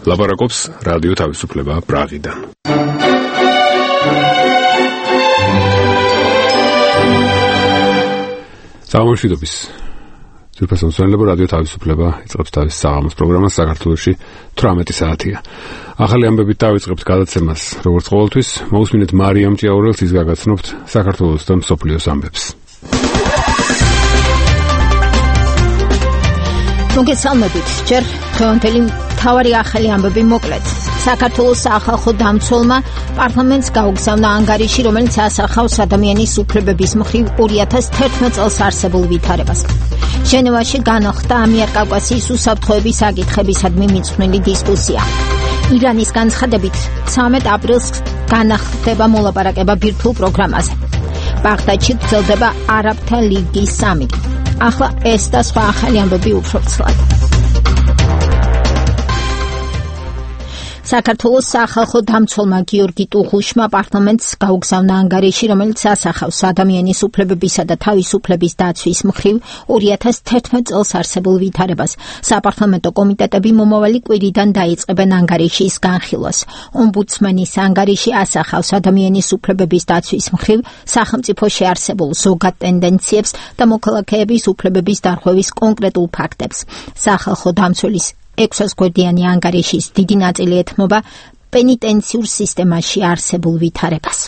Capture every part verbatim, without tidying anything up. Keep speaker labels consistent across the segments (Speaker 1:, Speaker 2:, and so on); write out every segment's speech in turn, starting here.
Speaker 1: ლაპარაკობს რადიო თავისუფლება პრაღიდან. სამშვიდობის ძვირფასო მსმენელებო, რადიო თავისუფლება იწყებს თავის საღამოს პროგრამას. საქართველოში თვრამეტი საათია. ახალი ამბებით დავიწყებთ გადაცემას. როგორც ყოველთვის, მოусმინეთ მარიამ ჭიაურელს, ის გაგაცნობთ საქართველოს და მსოფლიოს ამბებს.
Speaker 2: მოგესალმებით. ჯერ დღევანდელი მთავარი ახალი ამბები მოკლედ. საქართველოს სახალხო დამცველმა პარლამენტს გაუგზავნა ანგარიში, რომელიც ასახავს ადამიანის უფლებების მხრივ ორი ათას თერთმეტ წელს არსებულ ვითარებას. ჟენევაში განახლდა ამიერკავკასიის უსაფრთხოების საკითხებისადმი მიძღვნილი დისკუსია. ირანის განცხადებით ცამეტ აპრილს განახლდება მოლაპარაკება ბირთვულ პროგრამაზე. ბაღდადში გრძელდება არაბთა ლიგის სამიტი. ახლა ეს და სხვა ახალი ამბები უფრო ცლად. საქართველოს სახალხო დამცველმა გიორგი ტუღუშმა პარლამენტს გაუგზავნა ანგარიში, რომელიც ასახავს ადამიანის უფლებებისა და თავისუფლების დაცვის მხრივ ორი ათას თერთმეტ წელს არსებულ ვითარებას. საპარლამენტო კომიტეტები მომავალი კვირიდან დაიწყებენ ანგარიშის განხილვას. ომბუდსმენის ანგარიში ასახავს ადამიანის უფლებების დაცვის მხრივ სახელმწიფოში არსებულ ზოგად ტენდენციებს და მოქალაქეების უფლებების დარღვევის კონკრეტულ ფაქტებს. სახალხო დამცველის ექვსასგვერდიანი ანგარიშის დიდი ნაწილი ეთმობა პენიტენციურ სისტემაში არსებულ ვითარებას.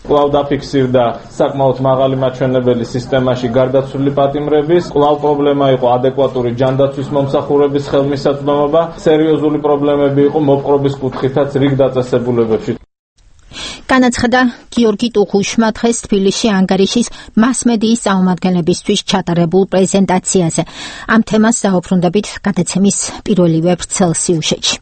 Speaker 3: კვლავ დაფიქსირდა საკმაოდ მაღალი მაჩვენებელი სისტემაში გარდაცვლილი პატიმრების, კვლავ პრობლემა იყო ადეკვატური ჯანდაცვის მომსახურების ხელმისაწვდომობა, სერიოზული პრობლემები იყო მოპყრობის კუთხითაც რიგ დაწესებულებებში.
Speaker 2: განაცხადა გიორგი ტუღუშმა დღეს თბილისში ანგარიშის მასმედიის წარმომადგენლებისთვის ჩატარებულ პრეზენტაციაზე. ამ თემას დაუბრუნდებით გადაცემის პირველივე ვრცელ სიუჟეტში.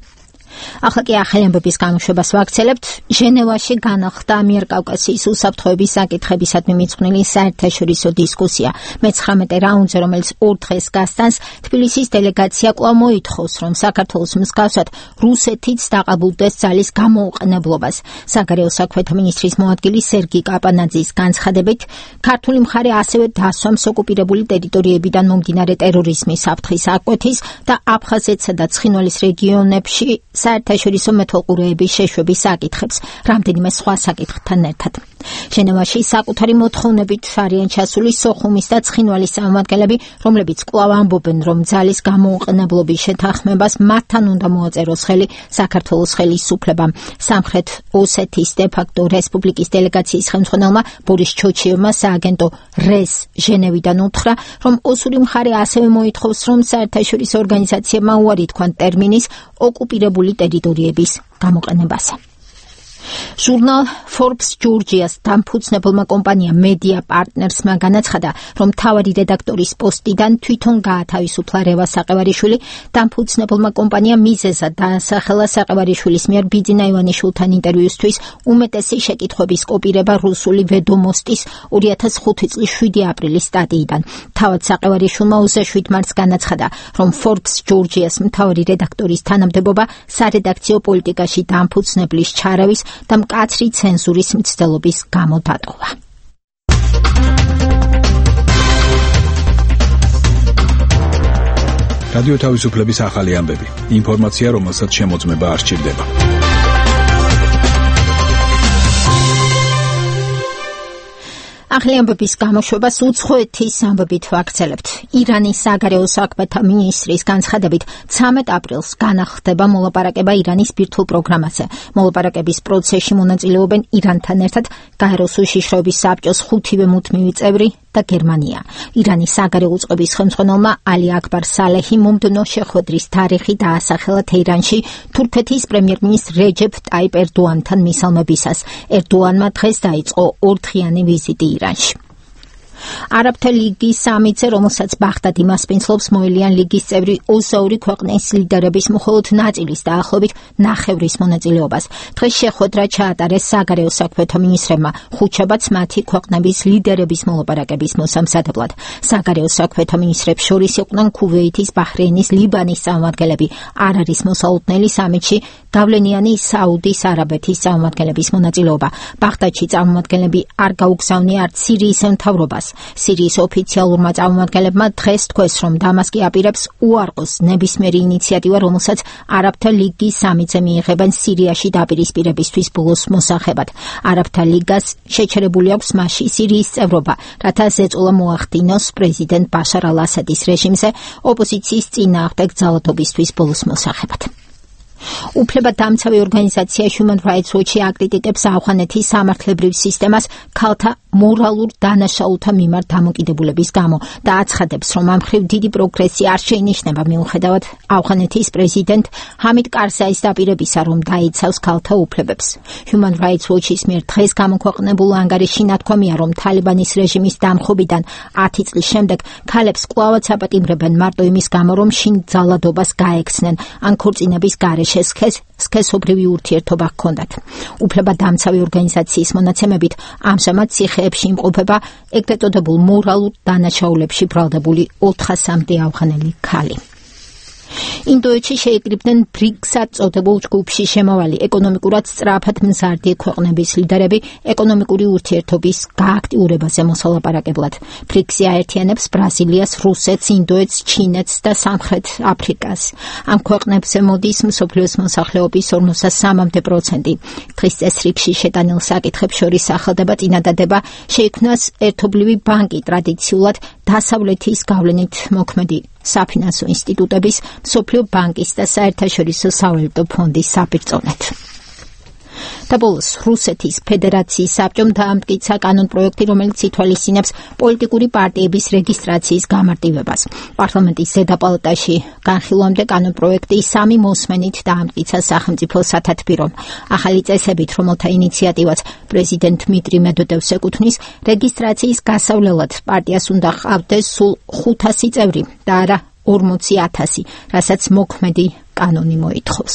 Speaker 2: ახლა კი ახალი ამბების გამოშვებას ვაგრძელებთ. ჟენევაში განახლდა ამიერკავკასიის უსაფრთხოების საკითხებისადმი მიძღვნილი საერთაშორისო დისკუსია. მეცხრამეტე რაუნდზე, რომელიც ორ დღეს გასტანს, თბილისის დელეგაცია კვლავ მოითხოვს, რომ საქართველოს მსგავსად რუსეთიც დაყალბულდეს ძალის გამოუყენებლობას. საგარეო საქმეთა მინისტრის მოადგილი სერგი კაპანაძის განცხადებით, ქართული მხარე ასევე დასვამს ოკუპირებული ტერიტორიებიდან მომდინარე ტერორიზმის საფრთხის აღკვეთის და აფხაზეთსა და ცხინვალის რეგიონებში საერთაშორისო მეთვალყურეების შეშვების საკითხებს, რამდენიმე სხვა საკითხთან ერთად. ჟენევაში საკუთარი მოთხოვნებით არიან ჩასული სოხუმის და ცხინვალის წარმომადგენლები, რომლებიც კვლავ ამბობენ, რომ ძალის გამოუყენებლობის შეთანხმებას მათთან უნდა მოაწეროს ხელი საქართველოს ხელისუფლებამ. სამხრეთ ოსეთის დე-ფაქტო რესპუბლიკის დელეგაციის ხელმძღვანელმა ბორის ჩოჩიევმა სააგენტო რეს ჟენევიდან უთხრა, რომ ოსური მხარე ასევე მოითხოვს, რომ საერთაშორისო ორგანიზაციებმა უარი თქვან ტერმინის ოკუპირებული ტერიტორიების გამოყენებაზე. ჟურნალ Forbes Georgia's დამფუძნებელმა კომპანია Media Partners-მა განაცხადა, რომ მთავარი რედაქტორის პოსტიდან თვითონ გაათავისუფლა რევა საყევარიშვილი. დამფუძნებელმა კომპანია მიზეზად დაასახელა საყევარიშვილის მიერ ბიძინა ივანიშვილთან ინტერვიუსთვის უმეტესი შეკითხვების კოპირება რუსული ვედომოსტის ორი ათას ხუთი წლის შვიდი აპრილის სტატიიდან. თავად საყევარიშვილმა ოცდაშვიდ მარტს განაცხადა, რომ Forbes Georgia's მთავარი რედაქტორის თანამდებობა სარედაქციო პოლიტიკაში დამფუძნებლის ჩარავის და მკაცრი ცენზურის მცდელობის გამო დატოვა.
Speaker 4: რადიო თავისუფლების ახალი ამბები. ინფორმაცია, რომელსაც შემოწმება არ სჭირდება.
Speaker 2: ახალი ამბების გამოშვებას უცხოეთის ამბებით ვაგრძელებთ. ირანის საგარეო საქმეთა მინისტრის განცხადებით ცამეტ აპრილს განახლდება მოლაპარაკება ირანის ბირთვულ პროგრამაზე. მოლაპარაკების პროცესში მონაწილეობენ ირანთან ერთად გაეროს უშიშროების საბჭოს ხუთივე მუდმივი წევრი და გერმანია. ირანის საგარეო უწყების ხელმძღვანელმა ალი აკბარ სალეჰი მომდევნო შეხვედრის თარიღი დაასახელა თეირანში თურქეთის პრემიერ-მინისტრ რეჯეფ ტაიპ ერდოანთან მისალმებისას. ერდოანმა დღეს დაიწყო ორდღიანი ვიზიტი ირანში. არაბთა ლიგის სამიტზე, რომელსაც ბაღდადი მასპინძლობს, მოელიან ლიგის წევრი ოცდაორი ქვეყნის ლიდერების მხოლოდ ნაწილის დაახლოებით ნახევრის მონაწილეობას. დღეს შეხვედრა ჩაატარეს საგარეო საქმეთა მინისტრებმა, ხუთშაბათს მათი ქვეყნების ლიდერების მოლაპარაკების მოსამზადებლად. საგარეო საქმეთა მინისტრებს შორის იყვნენ ქუვეითის, ბაჰრეინის, ლიბანის წარმომადგენლები. არ არის მოსალოდნელი სამიტში გავლენიანი საუდის არაბეთის წარმომადგენლების მონაწილეობა. ბაღდადში წარმომადგენლები არ გაუგზავნია არც სირიის მთავრობას, სირიის ოფიციალურმა წარმომადგენლებმა დღეს თქვეს, რომ დამასკი აპირებს უარყოს ნებისმიერი ინიციატივა, რომელსაც არაბთა ლიგის სამიტზე მიიღებენ სირიაში დაპირისპირებისთვის ბოლოს მოსახებად. არაბთა ლიგას შეჩერებული აქვს მასში სირიის წევრობა, რათა ზეწოლა მოახდინოს პრეზიდენტ ბაშარ ალ-ასადის რეჟიმზე ოპოზიციის წინააღმდეგ ძალადობისთვის ბოლოს მოსახებად. უფლებადამცავი ორგანიზაცია Human Rights Watch აკრიტიკებს ავღანეთის სამართლებრივ სისტემას ქალთა მორალურ დანაშაულთა მიმართ დამოკიდებულების გამო და აცხადებს, რომ ამ მხრივ დიდი პროგრესი არ შეინიშნება მიუხედავად ავღანეთის პრეზიდენტ ჰამიდ კარზაის დაპირებისა, რომ დაიცავს ქალთა უფლებებს. Human Rights Watch-ის მიერ დღეს გამოქვეყნებულ ანგარიშში ნათქვამია, რომ თალიბანის რეჟიმის დამხობიდან ათი წლის შემდეგ ქალებს კვლავაც აპატიმრებენ მარტო იმის გამო, რომ შინ ძალადობას გაექცნენ ან ქორწინების გარეშე სქესობრივი ურთიერთობა ჰქონდათ. უფლებადამცავი ორგანიზაციის მონაცემებით ამჟამად ციხეებში იმყოფება ეგრეთ წოდებულ მორალურ დანაშაულებში ბრალდებული ოთხასამდე ავღანელი ქალი. ინდოეთში შეიკრიბნენ ბრიქსად წოდებულ ჯგუფში შემავალი ეკონომიკურად სწრაფად მზარდი ქვეყნების ლიდერები ეკონომიკური ურთიერთობის გააქტიურებაზე მოსალაპარაკებლად. ბრიქსი აერთიანებს ბრაზილიას, რუსეთს, ინდოეთს, ჩინეთს და სამხრეთ აფრიკას. ამ ქვეყნებზე მოდის მსოფლიოს მოსახლეობის ორმოცდასამამდე პროცენტი. დღის წესრიგში შეტანილ საკითხებს შორის ახალდება წინადადება შეიქმნას ერთობლივი ბანკი ტრადიციულად დასავლეთის გავლენით მოქმედი საფინანსო ინსტიტუტების, მსოფლიო ბანკის და საერთაშორისო სავალუტო ფონდის საბრძოლეთ. და ბოლოს რუსეთის ფედერაციის საბჭომ დაამტკიცა კანონპროექტი, რომელიც ითვალისწინებს პოლიტიკური პარტიების რეგისტრაციის გამარტივებას. პარლამენტის ზედა პალატაში განხილვამდე კანონპროექტი სამი მოსმენით დაამტკიცა სახელმწიფო სათათბირომ. ახალი წესებით, რომელთა ინიციატივაც პრეზიდენტ დმიტრი მედვედევს ეკუთვნის, რეგისტრაციის გასავლელად პარტიას უნდა ჰყავდეს სულ ხუთასი წევრი და არა ორმოცი ათასი, რასაც მოქმედი კანონი მოითხოვს.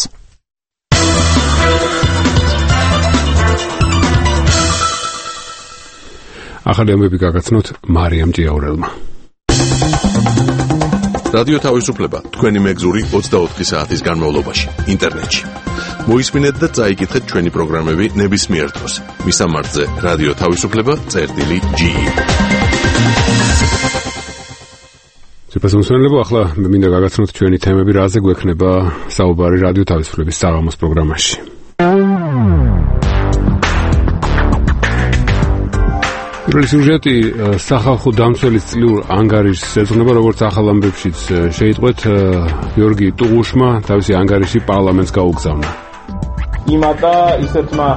Speaker 1: ახალი ამბები გაგაცნოთ მარიამ ჭიაურელმა.
Speaker 5: რადიო თავისუფლება თქვენი მეგზური ოცდაოთხი საათის განმავლობაში ინტერნეტში. მოისმინეთ და წაიკითხეთ ჩვენი პროგრამები ნებისმიერ დროს. მისამართზე რადიო თავისუფლება წერტილი ჯი.
Speaker 1: შეფასებულებო, ახლა მე მინდა გაგაცნოთ ჩვენი თემები, რაზე გვექნება საუბარი რადიო თავისუფლების საღამოს პროგრამაში. პირველი სიუჟეტი სახალხო დამცველის წლიურ ანგარიშს ეძღვნება, როგორც ახალ ამბებშიც შეიტყვეთ, გიორგი ტუღუშმა თავისი ანგარიში პარლამენტს გაუგზავნა.
Speaker 3: იმატა ისეთმა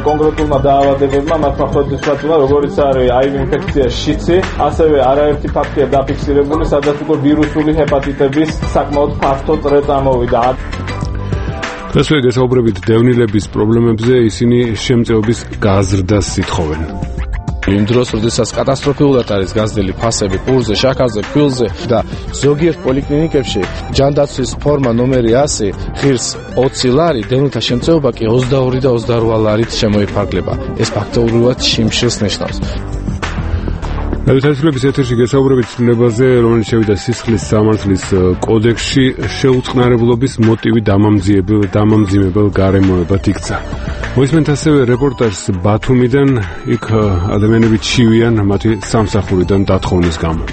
Speaker 3: კონკრეტულმა დაავადებებმა, მათ მახლობლისაცულა, როგორიც არის აი ვი ინფექცია, შიცი, ასევე არაერთი ფაქტია დაფიქსირებული, სადაც უკვე ვირუსული ჰეპატიტების საკმაოდ ფართო წრე წამოვიდა.
Speaker 1: დღესვე გესაუბრებით დევნილების პრობლემებზე, ისინი შემწეობის გაზრდას ითხოვენ.
Speaker 6: იმ დროს, როდესაც კატასტროფულად არის გაზრდილი ფასები პურზე, შაქარზე, ფქვილზე და ზოგიერთ პოლიკლინიკებში ჯანდაცვის ფორმა ნომერი ასი ღირს ოცი ლარი, დევნილთა შემწეობა კი ოცდაორი და ოცდარვა ლარით შემოიფარგლება. ეს ფაქტობრივად შიმშილს ნიშნავს.
Speaker 1: რადიო თავისუფლების ეთერში გესაუბრებით ცვლილებაზე, რომელიც შევიდა სისხლის სამართლის კოდექსში, შეუწყნარებლობის მოტივი დამამძიმებელ დამამძიმებელ გარემოებად იქცა. მოისმენთ ასევე რეპორტაჟს ბათუმიდან, იქ ადამიანები ჩივიან მათი სამსახურიდან დათხოვნის გამო.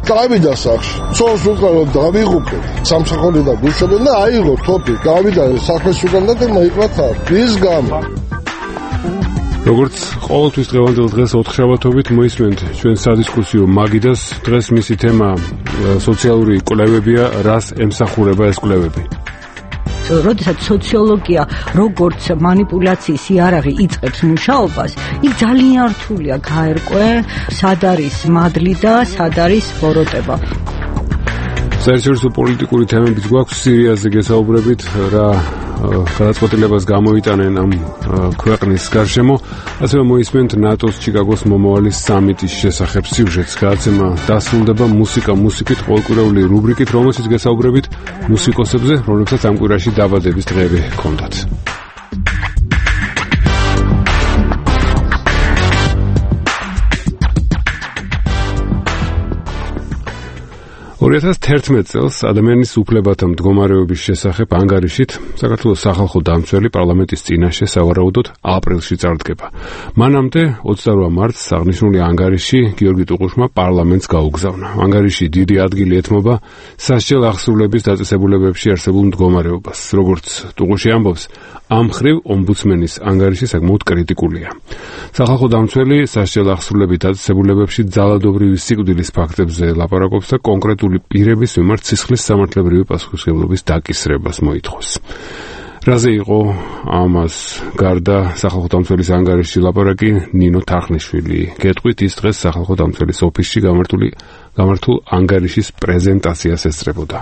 Speaker 7: გავიდა სახში, ცოლს უკრავდა დავიღუპეთ, სამსახურიდან გუშობენ და აიღო თოფი, გავიდა სახლის უკან და მოიყვათა. ის გამო როგორც ყოველთვის დღევანდელ დღეს ოთხშაბათობით მოისმენთ ჩვენ სადისკუსიო მაგიდას. დღეს მისი თემა სოციალური კვლევებია, რას ემსახურება ეს კვლევები.
Speaker 8: როდესაც სოციოლოგია როგორც მანიპულაციის იარაღი იწყებს მუშაობას, იქ ძალიან რთულია გაერკვე, სად არის მადლი და სად არის ბოროტება.
Speaker 1: საერთაშორისო პოლიტიკური თემებიც გვაქვს, სირიაზე გესაუბრებით, რა გადაწყვეტილებას გამოიტანენ ამ ქვეყნის გარშემო. ასევე მოისმენთ ნატოს ჩიკაგოს მომავალი სამიტის შესახებ სიუჟეტს. გადაცემა დასრულდება მუსიკა მუსიკით, ყოველკვირეული რუბრიკით, რომელშიც გესაუბრებით მუსიკოსებზე, რომლებსაც ამ კვირაში დაბადების დღეები ჰქონდათ. ორი ათას თერთმეტ წელს ადამიანის უფლებათა მდგომარეობის შესახებ ანგარიშით საქართველოს სახალხო დამცველი პარლამენტის წინაშე სავარაუდოდ აპრილში წარდგება. მანამდე ოცდაორი მარტს აღნიშნული ანგარიში გიორგი ტუღუშმა პარლამენტს გაუგზავნა. ანგარიში დიდი ადგილი ეთმობა სასჯელ აღსრულების დაწესებულებებში არსებულ მდგომარეობას. როგორც ტუღუში ამბობს, ამ მხრივ ომბუდსმენის ანგარიში საკმაოდ კრიტიკულია. სახალხო დამცველი სასჯელ აღსრულების დაწესებულებებში ძალადობრივი სიკვდილის ფაქტებზე ლაპარაკობს და კონკრეტული პირების მიმართ სისხლის სამართლებრივი პასუხისმგებლობის დაკისრებას მოითხოვს. რაზე იყო ამას გარდა სახალხო დამცველის ანგარიშში ლაპარაკი ნინო თარხნიშვილი გეტყვით ის დღეს სახალხო დამცველის ოფისში გამართული გამართულ ანგარიშის პრეზენტაციას ესწრებოდა.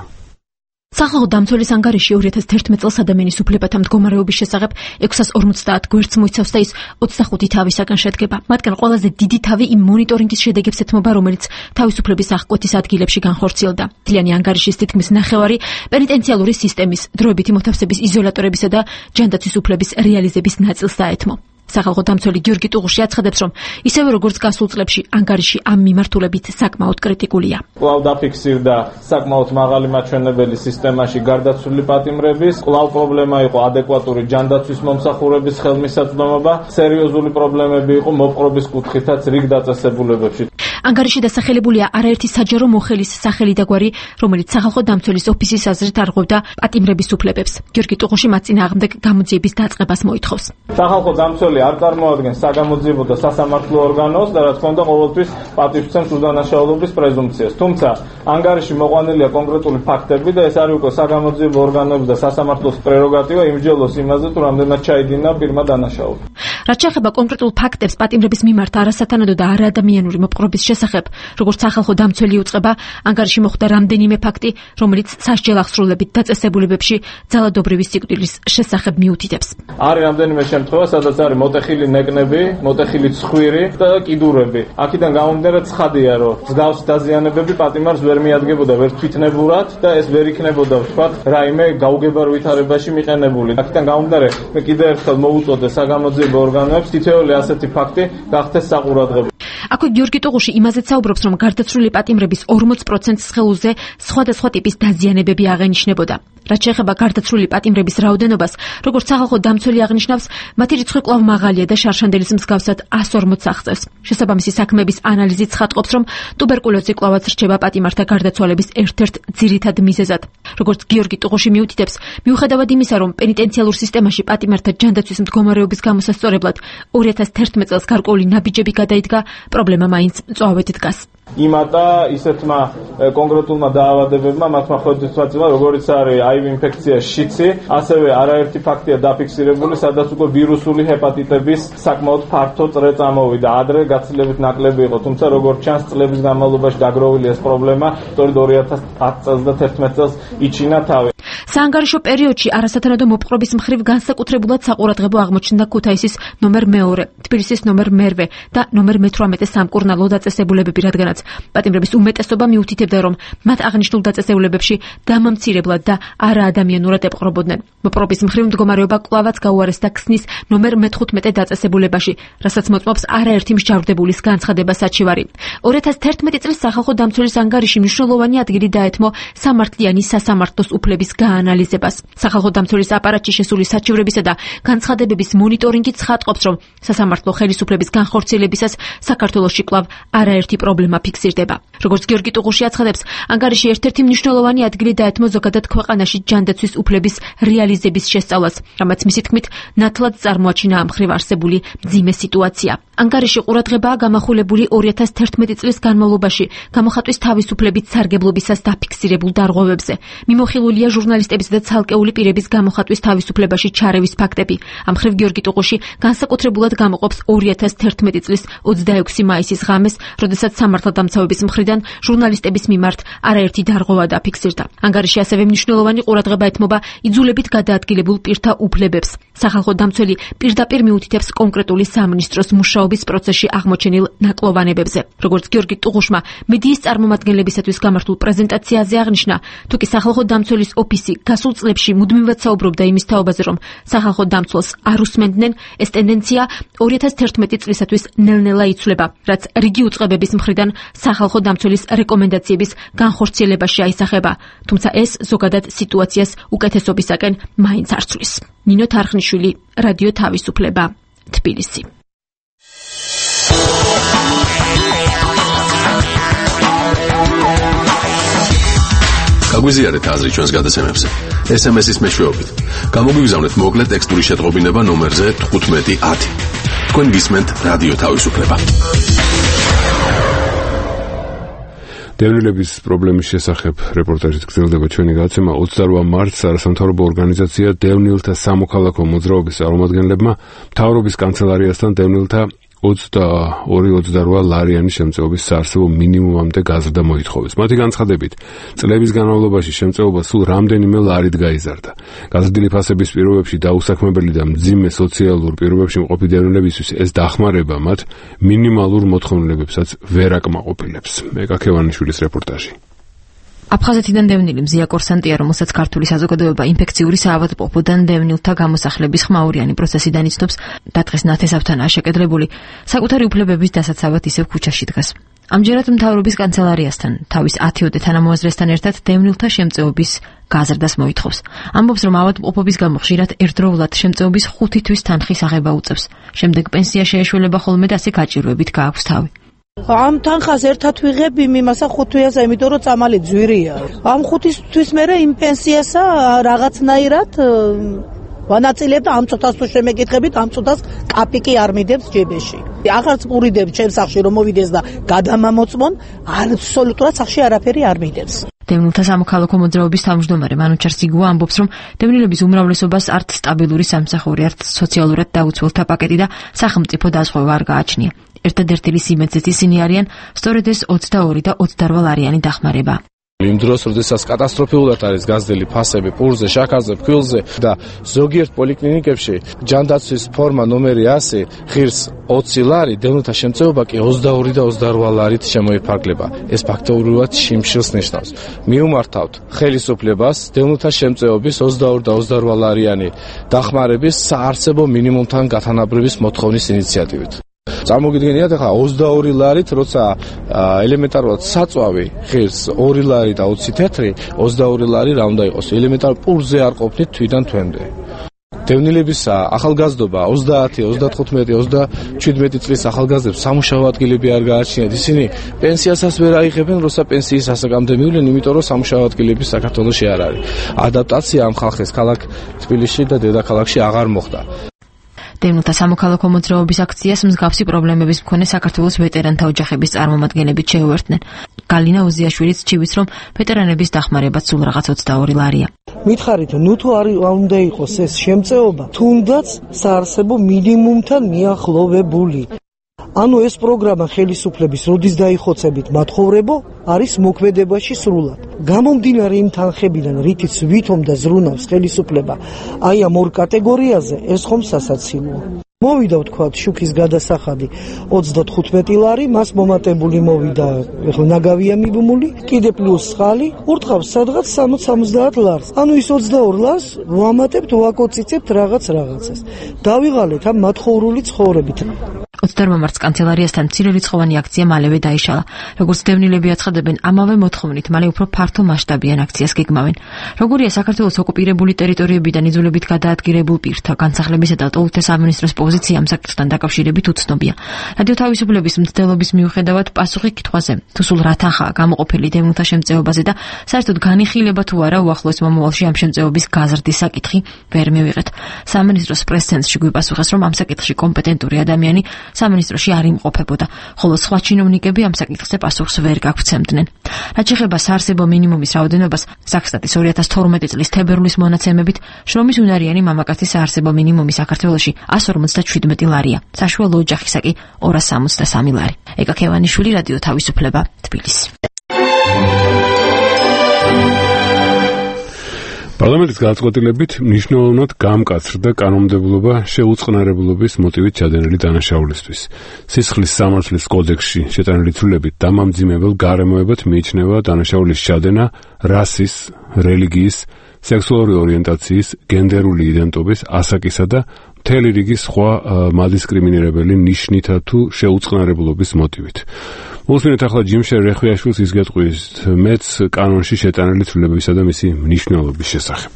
Speaker 9: სახალხო დამცველის ანგარიში ორი ათას თერთმეტ წელს ადამიანის უფლებათა მდგომარეობის შესახებ ექვსას ორმოცდაათ გვერდს მოიცავს და ის ოცდახუთი თავისაგან შედგება. მათგან ყველაზე დიდი თავი იმ მონიტორინგის შედეგებს ეთმობა, რომელიც თავისუფლების აღკვეთის ადგილებში განხორციელდა. მთლიანი ანგარიშის თითქმის ნახევარი პენიტენციალური სისტემის, დროებითი მოთავსების იზოლატორებისა და ჯანდაცვის უფლების რეალიზების ნაწილს დაეთმო. სახალხო დამცველი გიორგი ტუღუში აცხადებს, რომ ისევე როგორც გასულ წლებში ანგარიში ამ მიმართულებით საკმაოდ კრიტიკულია.
Speaker 3: კვლავ დაფიქსირდა საკმაოდ მაღალი მაჩვენებელი სისტემაში გარდაცვლილი პატიმრების, კვლავ პრობლემა იყო ადეკვატური ჯანდაცვის მომსახურების ხელმისაწვდომობა, სერიოზული პრობლემები იყო მოპყრობის კუთხითაც რიგ დაწესებულებებში.
Speaker 9: ანგარიში დასახელებულია არაერთი საჯარო მოხელის სახელი და გვარი, რომელიც სახალხო დამცველის ოფისის აზრით არღვევდა პატიმრების უფლებებს. გიორგი ტუღუში მათ წინააღმდეგ გამოძიების დაწყებას მოითხოვს.
Speaker 3: სახალხო დამცველი არ წარმოადგენს საგამოძიებო და სასამართლო ორგანოს და რა თქმა უნდა ყოველთვის პატივცემს უდანაშაულობის პრეზუმპციას. თუმცა ანგარიში მოყვანილია კონკრეტული ფაქტები და ეს არის უკვე საგამოძიებო ორგანოების და სასამართლოს პრეროგატივა იმსჯელოს იმაზე, თუ რამდენად ჩაიდინა პირმა დანაშაული.
Speaker 9: რაც შეეხება კონკრეტულ ფაქტებს პატიმრების მიმართ არასათანადო და არაადამიანური მოპყრობის შესახებ, როგორც სახალხო დამცველი უწყება, ანგარიში მოხვდა რამდენიმე ფაქტი, რომელიც სასჯელ აღსრულებით დაწესებულებებში ძალადობრივი სიკვდილის შესახებ მიუთითებს.
Speaker 3: არის რამდენიმე შემთხვევა, სადაც არის მოტეხილი ნეკნები, მოტეხილი ცხვირი და კიდურები. აქედან გამომდინარე ცხადია, რომ მსგავსი დაზიანებები პატიმარს ვერ მიადგებოდა ვერ თვითნებურად და ეს ვერ იქნებოდა ვთქვათ რაიმე გაუგებარ ვითარებაში მიყენებული. აქედან გამომდინარე მე კიდევ ერთხელ მოვუწოდე საგამოძიებო ორგანოებს თითოეული ასეთი ფაქტი გახდეს საყურადღებო.
Speaker 9: აქვე გიორგი ტუღუში იმაზე საუბრობს, რომ გარდაცვლილი პატიმრების ორმოც პროცენტს სხეულზე სხვადასხვა ტიპის დაზიანებები აღენიშნებოდა. რაც შეეხება გარდაცვლილი პატიმრების რაოდენობას, როგორც სახალხო დამცველი აღნიშნავს, მათი რიცხვი კვლავ მაღალია და შარშანდელის მსგავსად εκατს ორმოც აღწევს. შესაბამისი საქმეების ანალიზით ცხადყოფს, რომ ტუბერკულოზი კვლავაც რჩება პატიმართა გარდაცვალების ერთ-ერთ ძირითად მიზეზად. როგორც გიორგი ტუღუში მიუთითებს, მიუხედავად იმისა, რომ პენიტენციალურ სისტემაში პატიმართა ჯანდაცვის მდგომარეობის გამოსასწორებლად ორი ათას თერთმეტ წელს გარკვეული ნაბიჯები გადაიდგა, პრობლემა მაინც მწვავედ დგას.
Speaker 3: იმატა ისეთმა კონკრეტულმა დაავადებებმა მათმა ხვედრისმაწევა, როგორც არის აი ვი ინფექცია შიცი, ასევე არაერთი ფაქტია დაფიქსირებული, სადაც უკვე ვირუსული ჰეპატიტების საკმაოდ ფართო წრე წამოვიდა. ადრე გაცილებით ნაკლები იყო, თუმცა როგორც ჩანს წლების განმავლობაში დაგროვილი ეს პრობლემა, სწორედ ორი ათას ათ წელს და თერთმეტ წელს იჩინა თავი.
Speaker 9: საანგარიშო პერიოდში არასათანადო მოპყრობის მხრივ განსაკუთრებულად საყურადღებო აღმოჩნდა ქუთაისის ნომერ მეორე, თბილისის ნომერ მერვე და ნომერ მეთვრამეტე სამკურნალო დაწესებულებები, რადგანაც პატიმრების უმეტესობა მიუთითებდა, რომ მათ აღნიშნულ დაწესებულებებში დამამცირებლად და არაადამიანურად ეპყრობოდნენ. მოპყრობის მხრივ მდგომარეობა კვლავაც გაუარესდა ქსნის ნომერ მეთხუთმეტე დაწესებულებაში, რასაც მოწმობს არაერთი მსჯავრდებულის განცხადება საჩივარი. ორი ათას თერთმეტი წლის სახალხო დამცველის ანგარიში მნიშვნელოვანი ადგილი დაეთმო სამართლიანი სასამართლოს უფლების გაანალიზებას. სახალხო დამცველის აპარატში შესული საჩივრებისა და განცხადებების მონიტორინგი ცხადყოფს, რომ სასამართლო ხელისუფლების განხორციელებისას საქართველოში კვლავ არაერთი პრობლემა ფიქსირდება. როგორც გიორგი ტუღუში აცხადებს, ანგარიში ერთ-ერთი მნიშვნელოვანი ადგილი დაეთმო ზოგადად ქვეყანაში ჯანდაცვის უფლების რეალიზების შესწავლას, რამაც მისი თქმით ნათლად წარმოაჩინა ამ მხრივ არსებული მძიმე სიტუაცია. ანგარიში ყურადღებაა გამახვილებული ორი ათას თერთმეტი წლის განმავლობაში გამოხატვის თავისუფლებით სარგებლობისას დაფიქსირებულ დარღვევებზე. მიმოხილულია ჟურნალისტებისა და ცალკეული პირების გამოხატვის თავისუფლებაში ჩარევის ფაქტები. ამ მხრივ გიორგი ტუღუში განსაკუთრებულად გამოყოფს ორი ათას თერთმეტი წლის ოცდაექვსი მაისის ღამეს, როდესაც სამართალდამცავების მხრიდან ჟურნალისტების მიმართ არაერთი დარღვევა დაფიქსირდა. ანგარიში ასევე მნიშვნელოვანი ყურადღება ეთმობა იძულებით გადაადგილებულ პირთა უფლებებს. სახალხო დამცველი პირდაპირ მიუთითებს კონკრეტული სამინისტროს მუშაობის პროცესში აღმოჩენილ ნაკლოვანებებზე. როგორც გიორგი ტუღუშმა მედიის წარმომადგენლებისათვის გამართულ პრეზენტაციაზე აღნიშნა, თუ კი სახალხო დამცველის ოფისი გასულ წლებში მუდმივად საუბრობდა იმის თაობაზე, რომ სახალხო დამცველს არ უსმენდნენ, ეს ტენდენცია ორი ათას თერთმეტი წლისათვის ნელ-ნელა იცვლება, რაც რიგი უწყებების მხრიდან სახალხო დამცველის რეკომენდაციების განხორციელებაში აისახება, თუმცა ეს ზოგადად სიტუაციას უკეთესობისაკენ მაინც არ ცვლის. ნინო თარხნიშვილი, რადიო თავისუფლება, თბილისი.
Speaker 5: გაგვიზიარეთ აზრი ჩვენს გადაცემებზე. ეს ემ ეს-ის მეშვეობით. გამოგვიგზავნეთ მოკლე ტექსტური შეტყობინება ნომერზე თხუთმეტი ათი. თქვენ გისმენთ რადიო თავისუფლება.
Speaker 1: დევნილების პრობლემის შესახებ რეპორტაჟით გრძელდება ჩვენი გადაცემა. ოცდაორი მარტს არასამთავრობო ორგანიზაცია დევნილთა სამოქალაქო მოძრაობის წარმომადგენლებმა მთავრობის კანცელარიასთან დევნილთა ოცდაორი ოცდარვა ლარიანი შემწეობის საარსებო მინიმუმამდე გაზრდა მოითხოვეს. მათი განცხადებით, წლების განმავლობაში შემწეობა სულ რამდენიმე ლარით გაიზარდა. გაზრდილი ფასების პირობებში დაუსაქმებელი და მძიმე სოციალურ პირობებში მყოფი დევნილებისთვის ეს დახმარება მათ მინიმალურ მოთხოვნილებებსაც ვერ აკმაყოფილებს. მეკაქევანიშვილის რეპორტაჟი.
Speaker 9: აფხაზეთიდან დევნილი მზია კორსანტია, რომელსაც ქართული საზოგადოება ინფექციური საავადმყოფოდან დევნილთა გამოსახლების ხმაურიანი პროცესიდან იცნობს, დათხეს ნათესავთანაა შეკედლებული, საკუთარი უფლებების დასაცავად ისევ ქუჩაში დგას. ამჯერად მთავრობის კანცელარიასთან, თავის ათიოდე თანამოაზრესთან ერთად დევნილთა შემწეობის გაზრდას მოითხოვს. ამბობს, რომ ავადმყოფობის გამო ხშირად ერთდროულად შემწეობის ხუთი თვის თანხის აღება უწევს. შემდეგ პენსია შეეშველება ხოლმე და ასე გაჭირვებით გააქვს თავი.
Speaker 10: ამ თანხას ერთად ვიღებ იმასა ხუთვიაზე, იმიტომ რომ წამალი ძვირია. ამ ხუთი თვის მერე იმ პენსიასა რაღაცნაირად ვანაწილებ და ამ წუთას თუ შემეკითხებით, ამ წუთას კაპიკი არ მიდებს ჯებეში. აღარც პურიდებს ჩემს სახში რომ მოვიდეს და გადამამოწმონ, აბსოლუტურად სახში არაფერი არ მიდებს.
Speaker 9: დევნილთა სამოქალაქო მოძრაობის თავმჯდომარე მანუჩარ სიგუა ამბობს, რომ დევნილების უმრავლესობას არც სტაბილური სამსახური, არც სოციალურად დაუცველთა პაკეტი და სახელმწიფო დაზღვევა არ გააჩნია. ერთადერთი სიმეცით ისინი არიან სწორედ ეს ოცდაორი და ოცდარვა ლარიანი დახმარება.
Speaker 6: იმ დროს, როდესაც კატასტროფულად არის გაზრდილი ფასები პურზე, შაქარზე, ფქვილზე და ზოგიერთ პოლიკლინიკებში ჯანდაცვის ფორმა ნომერი ასი ღირს ოცი ლარი, დევნილთა შემწეობა კი ოცდაორი და ოცდარვა ლარით შემოიფარგლება. ეს ფაქტობრივად შიმშილს ნიშნავს. მიუმართავთ ხელისუფლებას დევნილთა შემწეობის ოცდაორი და ოცდარვა ლარიანი დახმარების საარსებო მინიმუმთან გათანაბრების მოთხოვნის ინიციატივით. წარმოგიდგენიათ, ახლა ოცდაორი ლარით, როცა ელემენტარულად საწვავი ღირს ორი ლარი და ოცი თეთრი, ოცდაორი ლარი რა უნდა იყოს? ელემენტარ პურზე არ ყოფნით თვიდან თვემდე. დევნილების ახალგაზრდობა ოცდაათი, ოცდათხუთმეტი, ოცდაჩვიდმეტი წლის ახალგაზრდებს სამუშაო ადგილები არ გააჩნიათ. ისინი პენსიასაც ვერ აიღებენ, როცა პენსიის ასაკამდე მივლენ, იმიტომ რომ სამუშაო ადგილები საქართველოში არ არის. ადაპტაცია ამ ხალხის ქალაქ თბილისში და დედაქალაქში აღარ მოხდა.
Speaker 9: დევნილთა სამოქალაქო მოძრაობის აქციას მსგავსი პრობლემების მქონე საქართველოს ვეტერანთა ოჯახების წარმომადგენლები შეუერთდნენ. გალინა ოზიაშვილიც ჭივის, რომ ვეტერანების დახმარებაც სულ რაღაც ოცდაორი ლარია.
Speaker 10: მითხარით, ნუ თუ არ უნდა იყოს ეს შემწეობა, თუნდაც საარსებო მინიმუმთან მიახლოვებული. ანუ ეს პროგრამა ხელისუფლების როდის დაიხოცებით მათხოვრებო არის მოქმედებაში სრულად. გამომდინარე იმ თანხებიდან, რითიც ვითომ და ზრუნავს ხელისუფლება აი ამ ორ კატეგორიაზე, ეს ხომ სასაცილოა. მოვიდა ვთქვათ შუქის გადასახადი ოცდათხუთმეტი ლარი, მას მომატებული მოვიდა, ეხლა ნაგავია მიბმული, კიდე პლუს წყალი, ურტყავს სადღაც სამოცი სამოცდაათ ლარს. ანუ ის ოცდაორ ლარს ვამატებთ, ვაკოციცებთ რაღაც რაღაცას. დავიღალეთ ამ მათხოვრული ცხოვრებით.
Speaker 9: ოცდაორ მარტს კანცელარიასთან მცირერიცხოვანი აქცია მალევე დაიშალა. როგორც დევნილები აცხადებენ, ამავე მოთხოვნით მალე უფრო ფართო მასშტაბიან აქციას გეგმავენ. როგორია საქართველოს ოკუპირებული ტერიტორიებიდან იძულებით გადაადგილებულ პირთა განსახლებისა და ტოლთა სამინისტროს პოზიცია ამ საკითხთან დაკავშირებით უცნობია. რადიო თავისუფლების მცდელობის მიუხედავად პასუხი კითხვაზე, თუ სულ რა თანხაა გამოყოფილი დევნილთა შემწეობაზე და საერთოდ განიხილება თუ არა უახლოეს მომავალში ამ შემწეობის გაზრდის საკითხი ვერ მივიღეთ. სამინისტროს პრეს-ცენტრში გვიპასუხეს, რომ ამ საკითხში კომპეტენტური ადამიანი სამინისტროში არ იმყოფებოდა, ხოლო სხვა ჩინოვნიკები ამ საკითხზე პასუხს ვერ გაგვცემდნენ. რაც შეეხება საარსებო მინიმუმის რაოდენობას, საქსტატის ორი ათას თორმეტი წლის თებერვლის მონაცემებით, შრომის უნარიანი მამაკაცის საარსებო მინიმუმი საქართველოში ასი ორმოცდაშვიდმეტი ლარია, საშუალო ოჯახისა კი ორას სამოცდასამი ლარი. ეკაქევანიშვილი, რადიო თავისუფლება, თბილისი.
Speaker 1: პარლამენტის გადაწყვეტილებით მნიშვნელოვნად გამკაცრდა კანონმდებლობა შეუწყნარებლობის მოტივით ჩადენილი დანაშაულისთვის. სისხლის სამართლის კოდექსში შეტანილი ცვლილებით დამამძიმებელ გარემოებად მიიჩნევა დანაშაულის ჩადენა რასის, რელიგიის, სექსუალური ორიენტაციის, გენდერული იდენტობის, ასაკისა და მთელი რიგი სხვა მადისკრიმინირებელი ნიშნითა თუ შეუწყნარებლობის მოტივით. მოსმინეთ ახლა ჯიმშერ რეხვიაშვილს ის გეტყვის მეც კანონში შეტანილი ცვლილებებისა და მისი მნიშვნელობის შესახებ.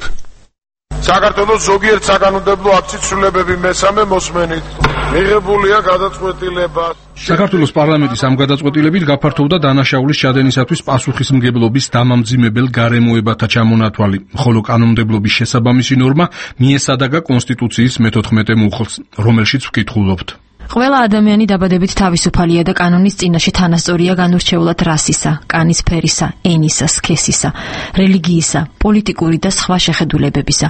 Speaker 7: საქართველოს ზოგიერთ საკანონმდებლო აქტის ცვლილებები მესამე მოსმენით მიღებულია გადაწყვეტილება.
Speaker 11: საქართველოს პარლამენტის ამ გადაწყვეტილებით გაფართოვდა დანაშაულის ჩადენისათვის პასუხისმგებლობის დამამძიმებელ გარემოებათა ჩამონათვალი, ხოლო კანონმდებლობის შესაბამისი ნორმა მიესადაგა კონსტიტუციის მეთოთხმეტე მუხლს, რომელშიც ვკითხულობთ.
Speaker 9: ყველა ადამიანი დაბადებით თავისუფალია და კანონის წინაშე თანასწორია განურჩეულად რასისა, კანის ფერისა, ენისა, სქესისა, რელიგიისა, პოლიტიკური და სხვა შეხედულებებისა,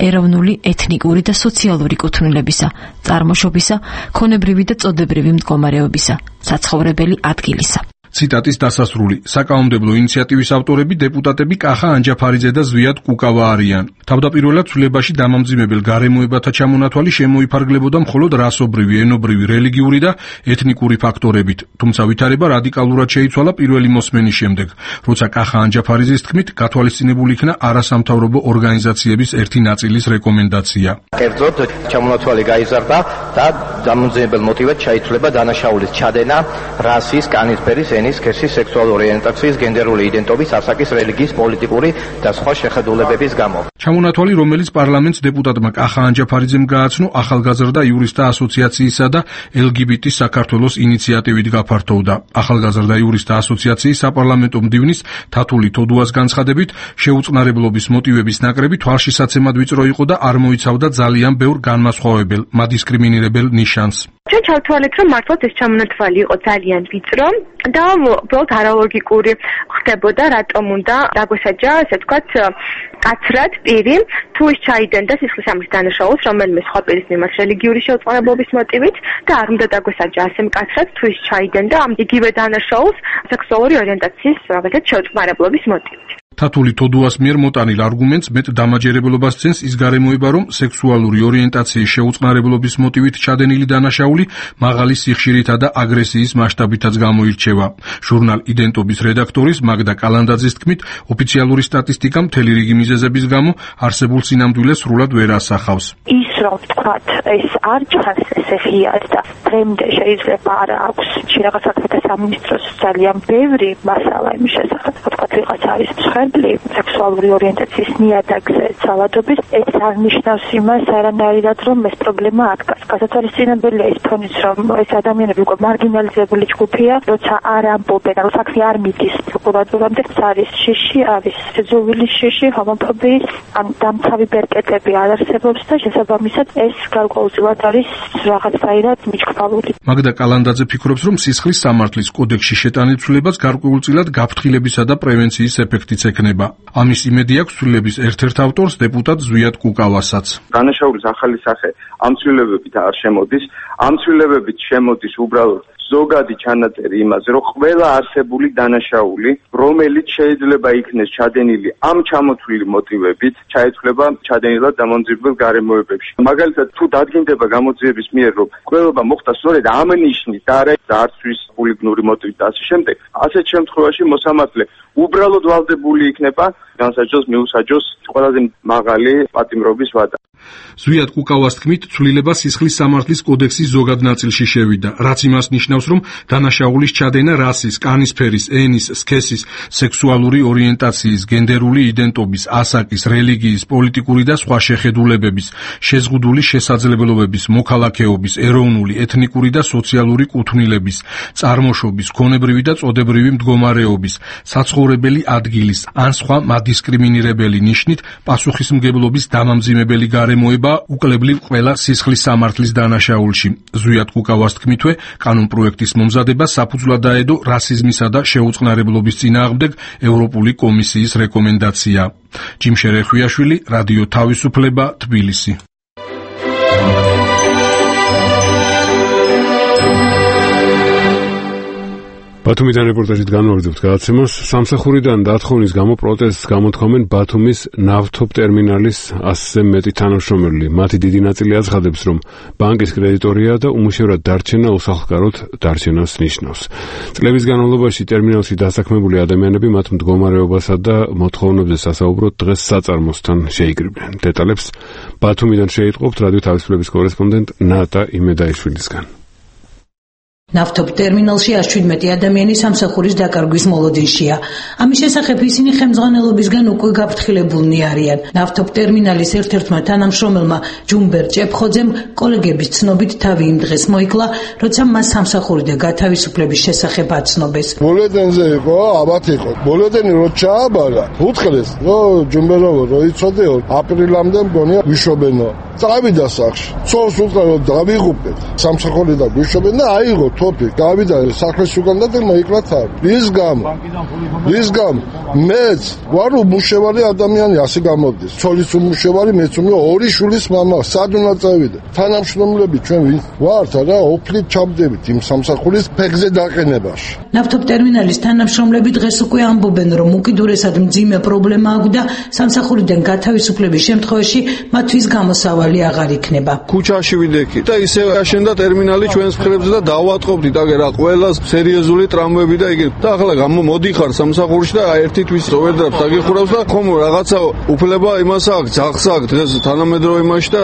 Speaker 9: ეროვნული, ეთნიკური და სოციალური კუთვნილებისა, წარმოშობისა, ქონებრივი და წოდებრივი მდგომარეობისა, საცხოვრებელი ადგილისა.
Speaker 11: ციტატის დასასრული. საკანონმდებლო ინიციატივის ავტორები დეპუტატები კახა ანჯაფარიძე და ზვიად კუკავა არიან. თავდაპირველად ცვლილებაში დამამძიმებელ გარემოებათა ჩამონათვალი შემოიფარგლებოდა მხოლოდ რასობრივი, ენობრივი, რელიგიური და ეთნიკური ფაქტორებით, თუმცა ვითარება რადიკალურად შეიცვალა პირველი მოსმენის შემდეგ, როცა კახა ანჯაფარიძის თქმით გათვალისწინებული იქნა არასამთავრობო ორგანიზაციების ერთი ნაწილის რეკომენდაცია.
Speaker 12: კერძოდ ჩამონათვალი გაიზარდა და დამამძიმებელ მოტივად ჩაითვლება დანაშაულის ჩადენა რასის, კანის ფერის, სქესის, სექსუალური ორიენტაციის, გენდერული იდენტობის, ასაკის, რელიგიის, პოლიტიკური და სხვა შეხედულებების გამო.
Speaker 11: ჩამონათვალი, რომელიც პარლამენტს დეპუტატმა კახა ანჯაფარიძემ გააცნო, ახალგაზრდა იურისტთა ასოციაციისა და ელ გი ბი ტი საქართველოს ინიციატივით გაფართოვდა. ახალგაზრდა იურისტთა ასოციაციის საპარლამენტო მდივნის თათული თოდუას განცხადებით, შეუწყნარებლობის მოტივების ნაკრები თვალშისაცემად ვიწრო იყო და არ მოიცავდა ძალიან ბევრ განმასხვავებელ, მადისკრიმინირებელ ნიშანს.
Speaker 13: ჩვენ ჩავთვალეთ, რომ მართლაც ეს ჩამონათვალი იყო ძალიან ვიწრო და უბრალოდ არალოგიკური ხდებოდა, რატომ უნდა დაგვესაჯა, ასე ვთქვათ, კაცრად პირი, თუ ის ჩაიდენდა სისხლისამრის დანაშაულს რომელიმე სხვა პირის მიმართ რელიგიური შეუწყნარებლობის მოტივით და არ უნდა დაგვესაჯა ასე მკაცრად, თუ ის ჩაიდენდა ამ იგივე დანაშაულს სექსუალური ორიენტაციის რაღაცა შეუწყნარებლობის მოტივით.
Speaker 11: თათული თოდუას მიერ მოტანილ არგუმენტს მეტ დამაჯერებლობას ცენს ის გარემოება, რომ სექსუალური ორიენტაციის შეუწყნარებლობის მოტივით ჩადენილი დანაშაული მაღალი სიხშირითა და აგრესიის მასშტაბითაც გამოირჩევა. ჟურნალ იდენტობის რედაქტორის მაგდა კალანდაძის თქმით, ოფიციალური სტატისტიკა მთელი რიგი მიზეზების გამო არსებულ სინამდვილეს სრულად ვერ ასახავს.
Speaker 14: ის რომ ვთქვათ, ეს არ ჩანს ესე ღიად და დღემდე შეიძლება არ აქვს რაღაც საქმეთა სამინისტროს ძალიან ბევრი მასალა იმის შესახებ, ვთქვათ, ვიღაც არის მსხვერპლი სექსუალური ორიენტაციის ნიადაგზე ცალადობის, ეს არ ნიშნავს იმას არანაირად, რომ ეს პრობლემა არ დგას. გასათვალისწინებელია ის ფონიც, რომ ეს ადამიანები უკვე მარგინალიზებული ჯგუფია, როცა არ ამბობენ, რომ საქმე არ მიდის პროკურატურამდე, არის შიში, არის სიძულვილის შიში, ჰომოფობიის, ან დამცავი ბერკეტები არ არსებობს და შესაბამისად ეს გარკვეულწილად არის რაღაცაირად მიჩქვალული.
Speaker 11: მაგდა კალანდაძე ფიქრობს, რომ სისხლის სამართლის კოდექსში შეტანილ ცვლილებაც გარკვეულწილად გაფრთხილებისა და პრევენციის ეფექტიც ექნება. ამის იმედი აქვს ცვლილების ერთ-ერთ ავტორს დეპუტატ ზვიად კუკავასაც.
Speaker 15: დანაშაულის ახალი სახე ამ ცვლილებებით არ შემოდის, ამ ცვლილებებით შემოდის უბრალოდ ზოგადი ჩანაწერი იმაზე, რომ ყველა არსებული დანაშაული, რომელიც შეიძლება იქნეს ჩადენილი ამ ჩამოთვლილი მოტივებით, ჩაითვლება ჩადენილად დამამძიმებელ გარემოებებში. მაგალითად, თუ დადგინდება გამოძიების მიერ, რომ ყველობა მოხდა სწორედ ამ ნიშნით და არა დარცვის ჰულიგნური მოტივით და ასე შემდეგ, ასეთ შემთხვევაში მოსამართლე უბრალოდ ვალდებული იქნება განსაჯოს მიუსაჯოს ყველაზე მაღალი პატიმრობის ვადა.
Speaker 11: ზვიად კუკავას თქმით, ცვლილება სისხლის სამართლის კოდექსის ზოგად ნაწილში შევიდა, რაც იმას ნიშნავს, რომ დანაშაულის ჩადენა რასის, კანის ფერის, ენის, სქესის, სექსუალური ორიენტაციის, გენდერული იდენტობის, ასაკის, რელიგიის, პოლიტიკური და სხვა შეხედულებების, შეზღუდული შესაძლებლობების, მოქალაქეობის, ეროვნული, ეთნიკური და სოციალური კუთვნილების, წარმოშობის, ქონებრივი და წოდებრივი მდგომარეობის, საცხოვრებელი ადგილის ან სხვა მადისკრიმინირებელი ნიშნით პასუხისმგებლობის დამამძიმებელი გარემოება უკლებლივ ყველა სისხლის სამართლის დანაშაულში. ზვიად კუკავას თქმითვე, კანონპროექტის მომზადება საფუძვლად დაედო რასიზმისა და შეუწყნარებლობის წინააღმდეგ ევროპული კომისიის რეკომენდაცია. ჯიმშერ რეხვიაშვილი, რადიო თავისუფლება, თბილისი.
Speaker 1: ბათუმიდან რეპორტაჟით განვაგრძობთ გადაცემას. სამსახურიდან დათხოვნის გამო პროტესტს გამოთქვამენ ბათუმის ნავთობ ტერმინალის ასზე მეტი თანამშრომელი. მათი დიდი ნაწილი აცხადებს, რომ ბანკის კრედიტორია და უმუშევრად დარჩენა უსახლკაროდ დარჩენას ნიშნავს. წლების განმავლობაში ტერმინალში დასაქმებული ადამიანები მათ მდგომარეობასა და მოთხოვნებზე სასაუბროდ დღეს საწარმოსთან შეიკრიბნენ. დეტალებს ბათუმიდან შეიტყობთ რადიო თავისუფლების კორესპონდენტ ნატა იმედაიშვილისგან.
Speaker 16: ნავთობ ტერმინალში ას შვიდმეტი ადამიანი სამსახურის დაკარგვის მოლოდინშია. ამის შესახებ ისინი ხელმძღვანელობისგან უკვე გაფრთხილებულნი არიან. ნავთობ ტერმინალის ერთ-ერთმა თანამშრომელმა ჯუმბერ ჭეფხოძემ კოლეგების ცნობით თავი იმ დღეს მოიკლა, როცა მას სამსახურიდან გათავისუფლების შესახებ აცნობეს.
Speaker 7: ბოლედენზე იყო, აბათ იყო. ბოლედენი რო ჩააბარა, უთხრეს, რომ ჯუმბეროვო რო იცოდეო, აპრილამდე მგონია ვიშობენო. წავიდა სახში. ცოლს უთხრა რომ დავიღუპეთ. სამსახურიდან ვიშობენ და აიღო თოფი. გავიდა სახლის უკან და მოიკლა თავი. ის გამო. ის გამო. მეც ვარ უმუშევარი ადამიანი ასე გამოდის. ცოლის უმუშევარი, მეც უმუშევარი, ორი შვილის მამა, სად უნდა წავიდე? თანამშრომლები ჩვენ ვინ ვართ რა, ოფლით ჩავდებით იმ სამსახურის ფეხზე დაყენებაში.
Speaker 16: ნავთობ ტერმინალის თანამშრომლები დღეს უკვე ამბობენ, რომ უკიდურესად მძიმე პრობლემა აქვს და სამსახურიდან გათავისუფლების შემთხვევაში მათთვის გამოსავალი აღარ იქნება.
Speaker 17: ქუჩაში ვიდექი და ისე აშენდა ტერმინალი ჩვენს მხრებზე და დავატყობდით აგერ რა ყველა სერიოზული ტრამვები და იგივე. და ახლა გამომოდიხარ სამსახურში და ერთი თვის ოვერდრაფს აგიხურავს და ხომ რაღაცა უფლება იმას აქვს, ძაღლს აქვს დღეს თანამედროვე იმაში და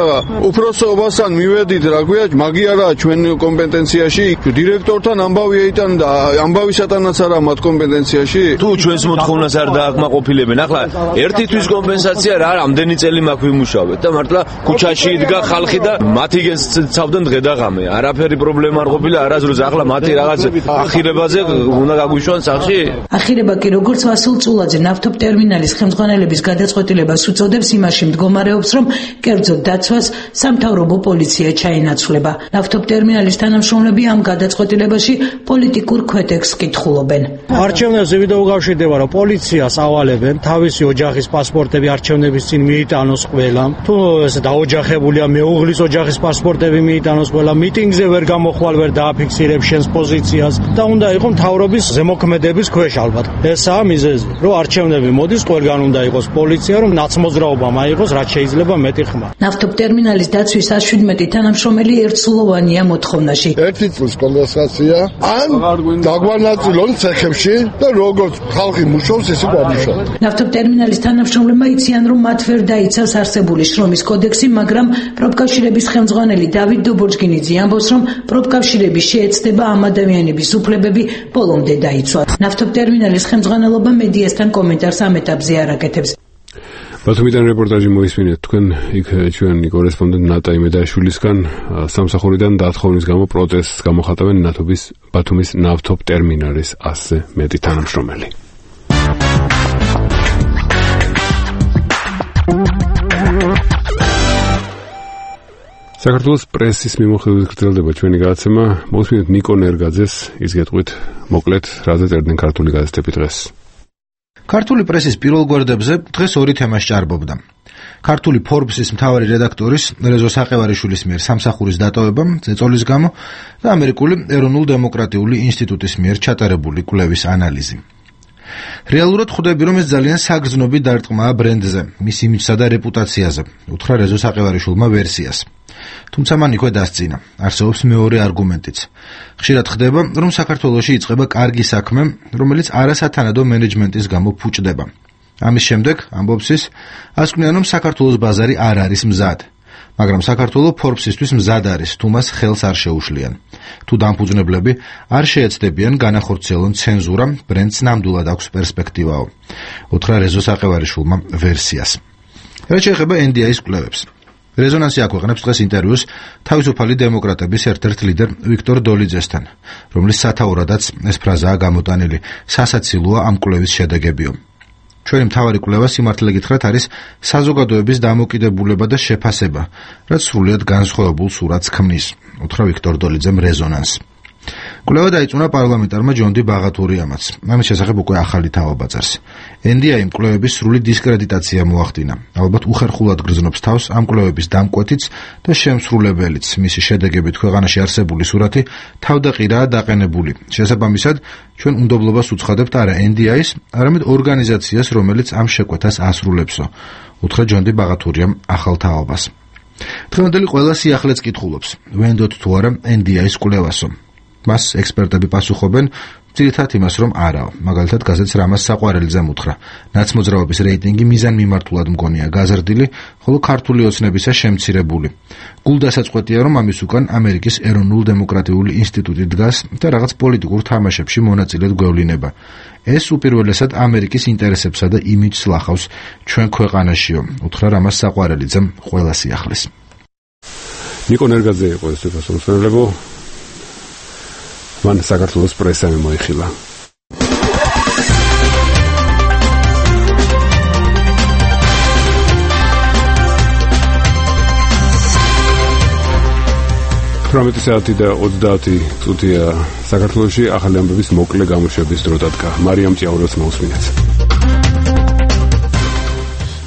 Speaker 17: უფროსობასთან მივედით რა ქვია, მაგი არაა ჩვენ კომპეტენციაში. დირექტორთან ამბავი ეიტან და ამბავისათანაც არა მათ კომპეტენციაში.
Speaker 18: თუ ჩვენს მოთხოვნას არ დააკმაყოფილებენ, ახლა ერთი თვის კომპენსაცია რა, რამდენი წელი მაქვს ვიმუშავეთ და მართლა ქუჩაში იდგა ხალხი და მათი გეცავდნენ დღე და ღამე. არაფერი პრობლემა არ ყოფილა არასდროს. ახლა მათი რაღაც ახირებაზე უნდა გაგვიშვან სახში.
Speaker 16: ახირება კი როგორც ვასილ წულაძე ნავთობ ტერმინალის ხელმძღვანელების გადაწყვეტილებას უწოდებს, იმაში მდგომარეობს, რომ კერძო დაცვას სამთავრობო პოლიცია ჩაენაცვლება. ნავთობ ტერმინალის თანამშრომლები ამ გადაწყვეტილებაში პოლიტიკურ ქვეტექსს კითხულობენ.
Speaker 19: არჩევნებზე ვიდეო გავშვიდება, რომ პოლიციას ავალებენ თავისი ოჯახის პასპორტები არჩევნების წინ მიიტანოს ყველამ. თუ ეს დაოჯახებულია მეუღლის ოჯახის პასპორტები მიიტანოს ყველა, მიტინგზე ვერ გამოხვალ, ვერ დააფიქსირებს შენს პოზიციას და უნდა იყო მთავრობის ზემოქმედების ქვეშ ალბათ. ესაა მიზეზი, რომ არჩევნები მოდის, ყველგან უნდა იყოს პოლიცია, რომ ნაცმოძრაობა მაიღოს, რაც შეიძლება მეტი ხმა.
Speaker 16: ნავთობ ტერმინალის დაცვის ას შვიდმეტი თანამშრომელი ერთსულოვანია მოთხოვნაში.
Speaker 7: ერთი წლის კომპენსაცია, ან დაგვანაწილონ ცეხებში და როგორც ხალხი მუშაობს, ესე გამუშავოთ.
Speaker 16: ნავთობ ტერმინალის თანამშრომლებმა იციან, რომ მათ ვერ დაიცავს არსებული შრომის კოდექსი, მაგრამ პროფკავშირების ხელმძღვანელი დავით დობორჯგინიძე ამბობს, რომ პროფკავშირების შეეცდება ამ ადამიანების უფლებები ბოლომდე დაიცვათ. ნავთობ ტერმინალის ხელმძღვანელობა მედიასთან კომენტარს ამ ეტაპზე არ აკეთებს.
Speaker 1: ბათუმიდან რეპორტაჟი მოისმინეთ თქვენ იქ ჩვენი კორესპონდენტ ნატა იმედაშვილისგან. სამსახურიდან დათხოვნის გამო პროტესტს გამოხატავენ ნავთობის ბათუმის ნავთობ ტერმინალის ასზე მეტი თანამშრომელი. საქართველოს პრესის მიმოხილვით გრძელდება ჩვენი გადაცემა. მოვსმინეთ ნიკო ნერგაძეს, ის გეტყვით მოკლედ რაზე წერდნენ ქართული გაზეთები დღეს.
Speaker 20: ქართული პრესის პირველ გვერდებზე დღეს ორი თემა სჭარბობდა. ქართული ფორბსის მთავარი რედაქტორის რეზო საყევარიშვილის მიერ სამსახურის დატოვება ზეწოლის გამო და ამერიკული ეროვნულ-დემოკრატიული ინსტიტუტის მიერ ჩატარებული კვლევის ანალიზი. რეალურად ხვდები, რომ ეს ძალიან საგრძნობი დარტყმაა ბრენდზე, მის იმიჯსა და რეპუტაციაზე, უთხრა რეზო საყევარიშვილმა ვერსიას. თუმცა მან იქვე დასწინა, არსებობს მეორე არგუმენტიც. ხშირად ხდება, რომ საქართველოში იწყება კარგი საქმე, რომელიც არასათანადო მენეჯმენტის გამო ფუჭდება. ამის შემდეგ, ამბობს ის, ასკვნიან, რომ საქართველოს ბაზარი არ არის მზად. მაგრამ საქართველო ფორბსისთვის მზად არის, თუ მას ხელს არ შეუშლიან. თუ დამფუძნებლები არ შეეცდებიან განახორციელონ ცენზურა, ბრენდს ნამდვილად აქვს პერსპექტივაო. უთხრა რეზო საყევარიშვილმა ვერსიას. რაც შეეხება ენ დი აის კვლევებს. რეზონანსი აქვეყნებს დღეს ინტერვიუს თავისუფალი დემოკრატების ერთ-ერთ ლიდერ ვიქტორ დოლიძესთან, რომლის სათაურადაც ეს ფრაზაა გამოტანილი. სასაცილოა ამ კვლევის შედეგებიო. ჩვენი მთავარი კვლევა სიმართლე გითხრათ არის საზოგადოების დამოკიდებულება და შეფასება, რაც სრულიად განსხვავებულ სურათს ქმნის, უთხრა ვიქტორ დოლიძემ რეზონანს. კვლევა დაიწუნა პარლამენტარმა ჯონ დი ბაღათურიამაც. ამის შესახებ უკვე ახალი თაობა წერს. ენ დი აი-მ კვლევების სრული დისკრედიტაცია მოახდინა. ალბათ უხერხულად გრძნობს თავს ამ კვლევების დამკვეთიც და შემსრულებელიც. მისი შედეგებით ქვეყანაში არსებული სურათი თავდაყირაა დაყენებული. შესაბამისად, ჩვენ უნდობლობას უცხადებთ არა ენ დი აის, არამედ ორგანიზაციას, რომელიც ამ შეკვეთას ასრულებსო. უთხრა ჯონ დი ბაღათურიამ ახალ თაობას. დღევანდელი ყველა სიახლეც კითხულობს, ვენდოთ თუ არა ენ დი აის კვლევასო. მას ექსპერტები პასუხობენ ძირითადად იმას, რომ არაო. მაგალითად, გაზეთს რამაზ საყვარელიძემ უთხრა, ნაცმოძრაობის რეიტინგი მიზანმიმართულად მგონია გაზრდილი, ხოლო ქართული ოცნებისა შემცირებული. გულდასაწყვეტია, რომ ამის უკან ამერიკის ეროვნულ დემოკრატიული ინსტიტუტი დგას და რაღაც პოლიტიკურ თამაშებში მონაწილედ გვევლინება. ეს უპირველესად ამერიკის ინტერესებსა და იმიჯს ლახავს ჩვენ ქვეყანაშიო, უთხრა რამაზ საყვარელიძემ ყველა სიახლეს.
Speaker 1: ნიკო ნერგაძე იყო ეს პასუხისმგებლებო. მან საქართველოს პრესამ მოიხილა. თვრამეტი საათი და ოცდაათი წუთია საქართველოში ახალი ამბების მოკლე გამოშვების დრო დადგა. მარიამ ჭიაურელს მოусმინეთ.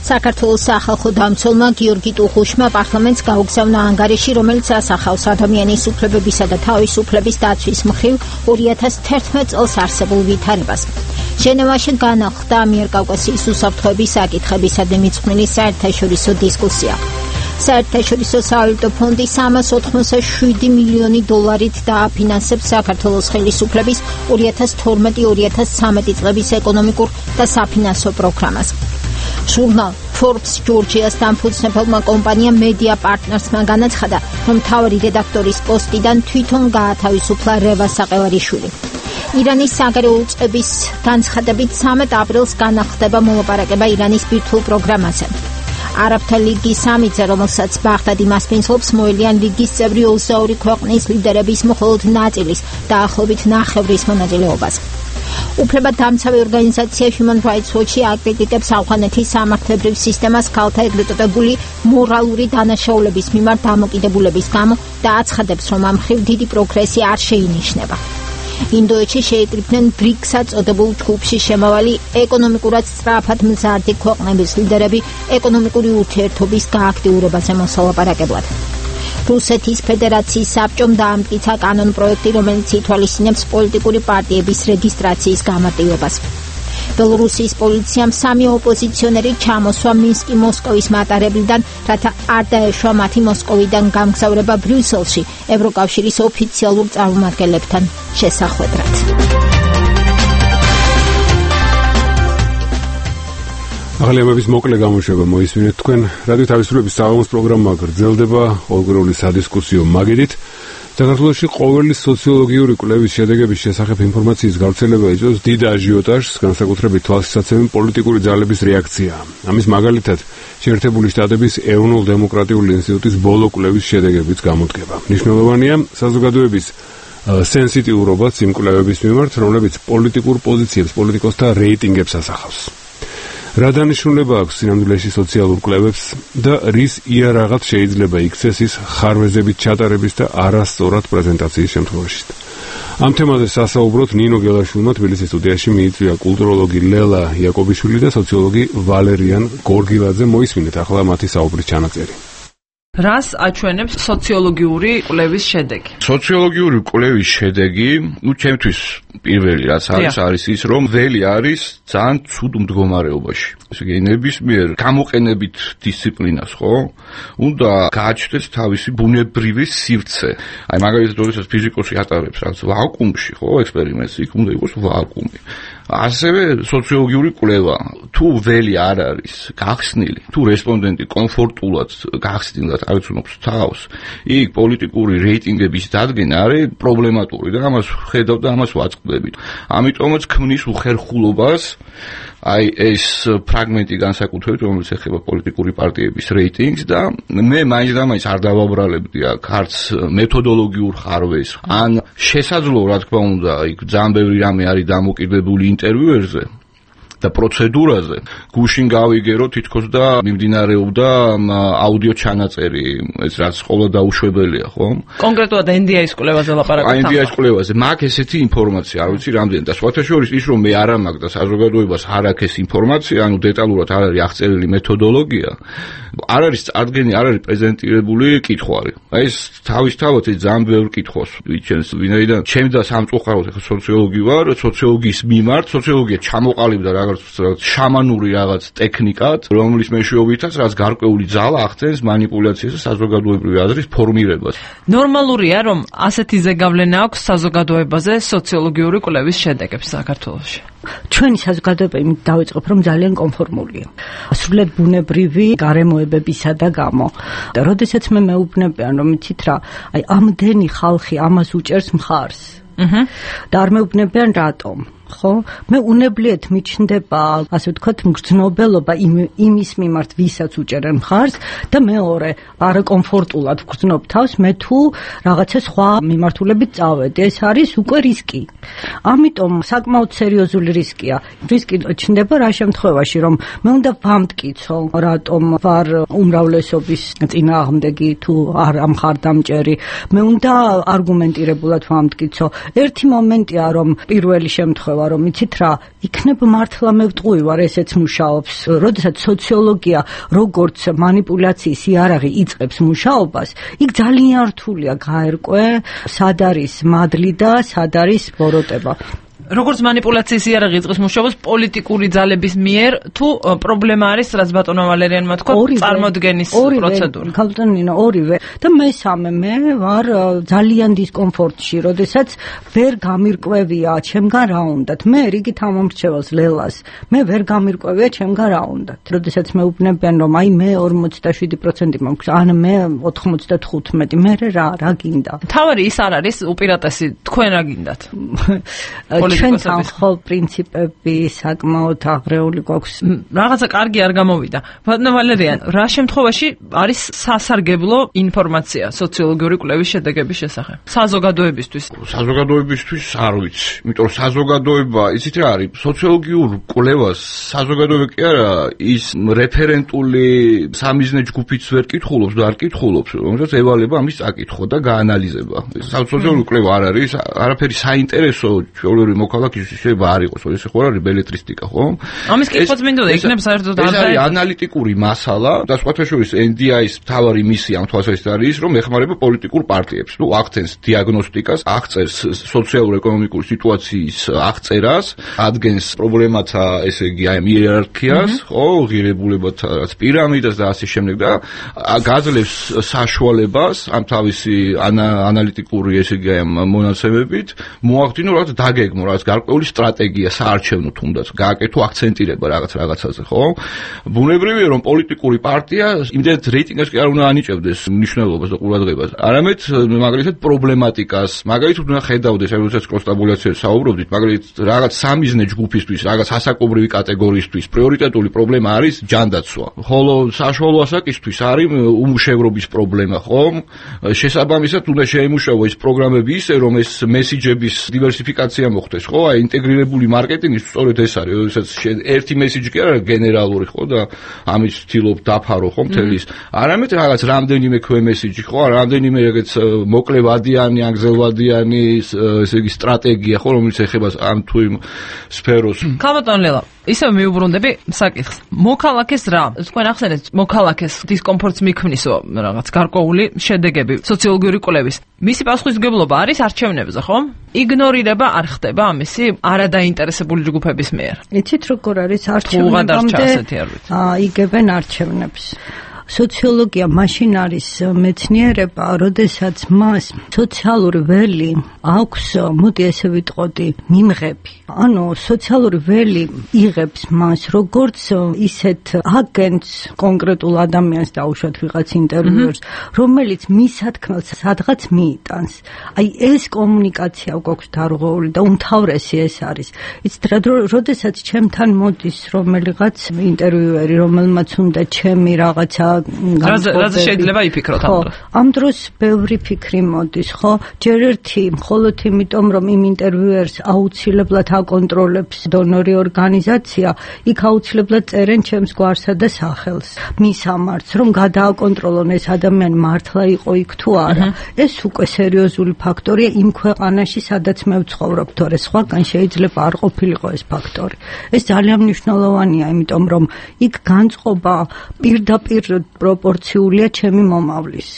Speaker 2: საქართველოს სახალხო დამცველმა გიორგი ტუხუშმა პარლამენტს გაუგზავნა ანგარიში, რომელიც ასახავს ადამიანის უფლებებისა და თავისუფლების დაცვის მხრივ ორი ათას თერთმეტ წელს არსებულ ვითარებას. ჟენევაში განახლდა ამიერკავკასიის უსაფრთხოების საკითხებისადმი მიძღვნილი საერთაშორისო დისკუსია. საერთაშორისო სავალუტო ფონდი სამას ოთხმოცდაშვიდი მილიონი დოლარით დააფინანსებს საქართველოს ხელისუფლების ორი ათას თორმეტი ორი ათას ცხრამეტი წლების ეკონომიკურ და საფინანსო პროგრამას. ჟურნალ Forbes ჯორჯიას დამფუძნებელმა კომპანიამ Media Partners-მა განაცხადა, რომ მთავარი რედაქტორის პოსტიდან თვითონ გაათავისუფლა რევა საყევარიშვილი. ირანის საგარეო უწყების განცხადებით სამი აპრილს განახლდება მოლაპარაკება ირანის ბირთვულ პროგრამაზე. არაბთა ლიგის სამიტზე, რომელსაც ბაღდადი მასპინძლობს, მოელიან ლიგის წევრი ოცდაორი ქვეყნის ლიდერების მხოლოდ ნაწილის დაახლოებით ნახევრის მონაწილეობას. უფლებადამცავი ორგანიზაცია Human Rights Watch აკრიტიკებს ავღანეთის სამართლებრივ სისტემას ქალთა ეგრეთ წოდებული მორალური დანაშაულების მიმართ დამოკიდებულების გამო და აცხადებს, რომ ამ მხრივ დიდი პროგრესი არ შეინიშნება. ინდოეთში შეიკრიბნენ ბრიქსად წოდებულ ჯგუფში შემავალი ეკონომიკურად სწრაფად მზარდი ქვეყნების ლიდერები ეკონომიკური ურთიერთობის გააქტიურებაზე მოსალაპარაკებლად. რუსეთის ფედერაციის საბჭომ დაამტკიცა კანონ პროექტი, რომელიც ითვალისწინებს პოლიტიკური პარტიების რეგისტრაციის გამარტივებას. ბელორუსიის პოლიციამ სამი ოპოზიციონერი ჩამოსვა მინსკი მოსკოვის მატარებლიდან, რათა არ დაეშვა მათი მოსკოვიდან გამგზავრება ბრიუსელში ევროკავშირის ოფიციალურ წარმომადგენლებთან შესახვედრად.
Speaker 1: ახალი ამბების მოკლე გამოშვება მოისმინეთ თქვენ. რადიო თავისუფლების საღამოს პროგრამა გრძელდება ყოველგვარული სადისკუსიო მაგიდით. საქართველოში ყოველი სოციოლოგიური კვლევის შედეგების შესახებ ინფორმაციის გავრცელება იწვევს დიდ აჟიოტაჟს, განსაკუთრებით თვალსაჩინო პოლიტიკური ძალების რეაქცია. ამის მაგალითად, შეერთებული შტატების ეროვნულ დემოკრატიული ინსტიტუტის ბოლო კვლევის შედეგებიც გამოდგება. მნიშვნელოვანია საზოგადოების სენსიტიურობაც იმ კვლევების მიმართ, რომლებიც პოლიტიკურ პოზიციებს, პოლიტიკოსთა რეიტინგებს ასახავს. რა დანიშნულება აქვს სინამდვილეში სოციალურ კვლევებს და რის იარაღად შეიძლება იქცეს ის ხარვეზებით ჩატარების და არასწორად პრეზენტაციის შემთხვევაში. ამ თემაზე სასაუბროთ ნინო გელაშვილმა თბილისის სტუდიაში მიიწვია კულტუროლოგი ლელა იაკობიშვილი და სოციოლოგი ვალერიან გორგილაძე. მოისმინეთ ახლა მათი საუბრის ჩანაწერი.
Speaker 21: რას აჩვენებს სოციოლოგიური კვლევის შედეგი?
Speaker 22: სოციოლოგიური კვლევის შედეგი, ну, ჩემთვის პირველი რაც არის, არის ის, რომ ველი არის ძალიან ცუდ მდგომარეობაში. ესე იგი, ნებისმიერ გამოყენებით დისციპლინას, ხო? უნდა გააჩნდეს თავისი ბუნებრივი სივრცე. აი, მაგალითად, როდესაც ფიზიკოსი ატარებს რაც ვაკუუმში, ხო, ექსპერიმენტს, იქ უნდა იყოს ვაკუუმი. ასევე სოციოლოგიური კვლევა, თუ ველი არ არის გახსნილი, თუ რესპონდენტი კომფორტულად გახსნილად აღწუნობს თავს, იქ პოლიტიკური რეიტინგების დადგენა არის პრობლემატური და ამას ხედავ და ამას ვაწყდებით. ამიტომაც ქმნის უხერხულობას აი ეს ფრაგმენტი განსაკუთრებით, რომელიც ეხება პოლიტიკური პარტიების რეიტინგს და მე მაინც და მაინც არ დავაბრალებდი აქ არც მეთოდოლოგიურ ხარვეს, ან შესაძლოა, რა თქმა უნდა, იქ ძალიან ბევრი რამე არის დამოკიდებული ინტერვიუერზე და პროცედურაზე გუშინ გავიგე რომ თითქოს და მიმდინარეობდა აუდიო ჩანაწერი, ეს რაც ყოველ დაუშვებელია, ხო?
Speaker 21: კონკრეტულად ენ დი ეის კვლევაზე ლაპარაკობთ.
Speaker 22: ენ დი ეის კვლევაზე მაგ ესეთი ინფორმაცია, არ ვიცი რამდენი და სხვათა შორის ის რომ მე არ ამაქვს და საზოგადოებას არ აქვს ეს ინფორმაცია, ანუ დეტალურად არ არის აღწერილი მეთოდოლოგია. არ არის წარდგენი, არ არის პრეზენტირებული კითხვარი. აი ეს თავისთავად ეს ძალიან ბევრი კითხვას ვიჩენს, ვინაიდან ჩემი და სამწუხაროდ ახლა სოციოლოგი ვარ, სოციოლოგიის მიმართ, სოციოლოგია ჩამოყალიბდა რაღაც შამანური რაღაც ტექნიკად, რომლის მეშვეობითაც რაც გარკვეული ძალა ახდენს манипуляციას და საზოგადოებრივი აზრის ფორმირებას.
Speaker 21: ნორმალურია, რომ ასეთი ზეგავლენა აქვს საზოგადოებაზე სოციოლოგიური კვლევის შედეგებს საქართველოში.
Speaker 16: ჩვენი საზოგადოება იმით დავიწყებ, რომ ძალიან კონფორმულია. სრულიად ბუნებრივი გარემოებებისა და გამო. და როდესაც მე მეუბნებიან, რომ იცით რა, აი ამდენი ხალხი ამას უჭერს მხარს. აჰა. და არ მეუბნებიან რატომ. ხო, მე უნებლიეთ მიჩნდება, ასე ვთქვათ, მგრძნობელობა იმის მიმართ, ვისაც უჭერენ მხარს და მეორე, არაკომფორტულად ვგრძნობ თავს, მე თუ რაღაცა სხვა მიმართულებით წავედი, ეს არის უკვე რისკი. ამიტომ საკმაოდ სერიოზული რისკია. რისკი ჩნდება რა შემთხვევაში, რომ მე უნდა ვამტკიცო, რატომ ვარ უმრავლესობის წინააღმდეგი თუ არ ამხარდამჭერი. მე უნდა არგუმენტირებულად ვამტკიცო. ერთი მომენტია, რომ პირველი შემთხვევა რომ იცით რა, იქნებ მართლა მე ვტყუი ვარ, ესეც მუშაობს. როდესაც სოციოლოგია როგორც манипуляციის იარაღი იწყებს მუშაობას, იქ ძალიან რთულია გაერკვე, სად არის მადლი და სად არის ბოროტება.
Speaker 21: როგორც манипуляციის იარაღი იწყებს მუშაობას პოლიტიკური ძალების მიერ თუ პრობლემა არის, რაც ბატონო ვალერიანმა თქვა, წარმოდგენის პროცედურა.
Speaker 16: ქალბატონინო, ორივე. და მესამე, მე ვარ ძალიან დისკომფორტში, როდესაც ვერ გამირკვევია ჩემგან რა უნდათ. მე რიგით ამომრჩეველს ლელას, მე ვერ გამირკვევია ჩემგან რა უნდათ. როდესაც მეუბნებიან, რომ აი მე ორმოცდაშვიდი პროცენტი მაქვს, ან მე ოთხმოცდათხუთმეტი, მე რა რა გინდა.
Speaker 21: თავარი ის არ არის უპირატესი, თქვენ რა გინდათ?
Speaker 16: ჩვენ თანხმობ პრინციპები საკმაოდ აღრეული გვაქვს.
Speaker 21: რაღაცა კარგი არ გამოვიდა. ბატონო ვალერიან, რა შემთხვევაში არის სასარგებლო ინფორმაცია სოციოლოგიური კვლევის შედეგების შესახებ? საზოგადოებისთვის.
Speaker 22: საზოგადოებისთვის არ ვიცი. იმიტომ რომ საზოგადოება, იცით რა არის, სოციოლოგიურ კვლევას საზოგადოება კი არა, ის რეფერენტული სამიზნე ჯგუფიც ვერ კითხულობს და არ კითხულობს, რომელსაც ევალება ამის წაკითხვა და გაანალიზება. სოციოლოგიური კვლევა არ არის, არაფერი საინტერესო ჩვეულებრივი მოქალაქისთვის შეიძლება არ იყოს, ეს ხო არის ბელეტრისტიკა, ხო?
Speaker 21: ამის კითხვაც მინდოდა, იქნებ საერთოდ არ
Speaker 22: ეს არის ანალიტიკური მასალა და სხვათა შორის ენ დი ეის მთავარი მისია ამ თვალსაზრისით არის ის, რომ ეხმარება პოლიტიკურ პარტიებს. ნუ აღწევს დიაგნოსტიკას, აღწევს სოციალურ-ეკონომიკური სიტუაციის აღწერას, ადგენს პრობლემათა, ესე იგი, აი იერარქიას, ხო, ღირებულებათა პირამიდას და ასე შემდეგ და გაძლევს საშუალებას ამ თავისი ანალიტიკური, ესე იგი, ამ მონაცემებით მოახდინო რაღაც დაგეგმო, რაღაც გარკვეული სტრატეგია საარჩევნო თუნდაც, გააკეთო აქცენტირება რაღაც რაღაცაზე, ხო? ბუნებრივია, რომ პოლიტიკური პარტია იმდენად რეიტინგს კი არ უნდა ანიჭებდეს მნიშვნელობას და ყურადღებას. არამედ მაგალითად პრობლემატიკას, მაგალითად უნდა ხედავდეს, როდესაც კროსტაბულაციაზე საუბრობდით, მაგალითად რაღაც სამიზნე ჯგუფისთვის, რაღაც ასაკობრივი კატეგორიისთვის პრიორიტეტული პრობლემა არის ჯანდაცვა. ხოლო საშუალო ასაკისთვის არის უმუშევრობის პრობლემა, ხო? შესაბამისად უნდა შეიმუშავა ეს პროგრამები ისე, რომ ეს მესიჯების დივერსიფიკაცია მოხდეს, ხო? აი ინტეგრირებული მარკეტინგი სწორედ ეს არის, როდესაც ერთი მესიჯი კი არა გენერალური, ხო და ამით ვთილობ დაფარო, ხო, მთელის. არამედ რაღაც რამდენიმე ქვემესიჯი, ხო, რამდენიმე ეგეც მოკლევადიანი, ანგზელვადიანი, ესე იგი სტრატეგია, ხო, რომელიც ეხება ამ თუ იმ სფეროს.
Speaker 21: ქალბატონ ლელა, ისევ მიუბრუნდები საკითხს. მოქალაქეს რა? თქვენ ახსენეთ, მოქალაქეს დისკომფორტს მიქმნისო რაღაც გარკვეული შედეგები სოციოლოგიური კვლევის. მისი პასუხისმგებლობა არის არჩევნებზე, ხო? იგნორირება არ ხდება ამისი არადაინტერესებული ჯგუფების მიერ.
Speaker 16: იცით როგორ არის არჩევნებამდე? აა იგებენ არჩევნებს. სოციოლოგია მაშინ არის მეცნიერება, როდესაც მას სოციალური ველი აქვს, მოდი ესე ვიტყოდი, მიმღები. ანუ სოციალური ველი იღებს მას როგორც ისეთ აგენტს, კონკრეტულ ადამიანს დაუშვათ ვიღაც ინტერვიუერს, რომელიც მისათქმელს სადღაც მიიტანს. აი ეს კომუნიკაცია გვაქვს დარღვეული და უმთავრესი ეს არის. იცით რა, როდესაც ჩემთან მოდის რომელიღაც ინტერვიუერი, რომელმაც უნდა ჩემი რაღაცა
Speaker 21: რაზე შეიძლება იფიქროთ ამ დროს?
Speaker 4: ამ დროს ბევრი ფიქრი მოდის, ხო? ჯერ ერთი მხოლოდ იმიტომ, რომ იმ ინტერვიუერს აუცილებლად აკონტროლებს დონორი ორგანიზაცია, იქ აუცილებლად წერენ ჩემს გვარსა და სახელს. მის ამარც, რომ გადააკონტროლონ ეს ადამიანი მართლა იყო იქ თუ არა. ეს უკვე სერიოზული ფაქტორია იმ ქვეყანაში, სადაც მე ვცხოვრობ, თორე სხვაგან შეიძლება არ ყოფილიყო ეს ფაქტორი. ეს ძალიან მნიშვნელოვანია, იმიტომ რომ იქ განწყობა პირდაპირ პროპორციულია ჩემი მომავლის.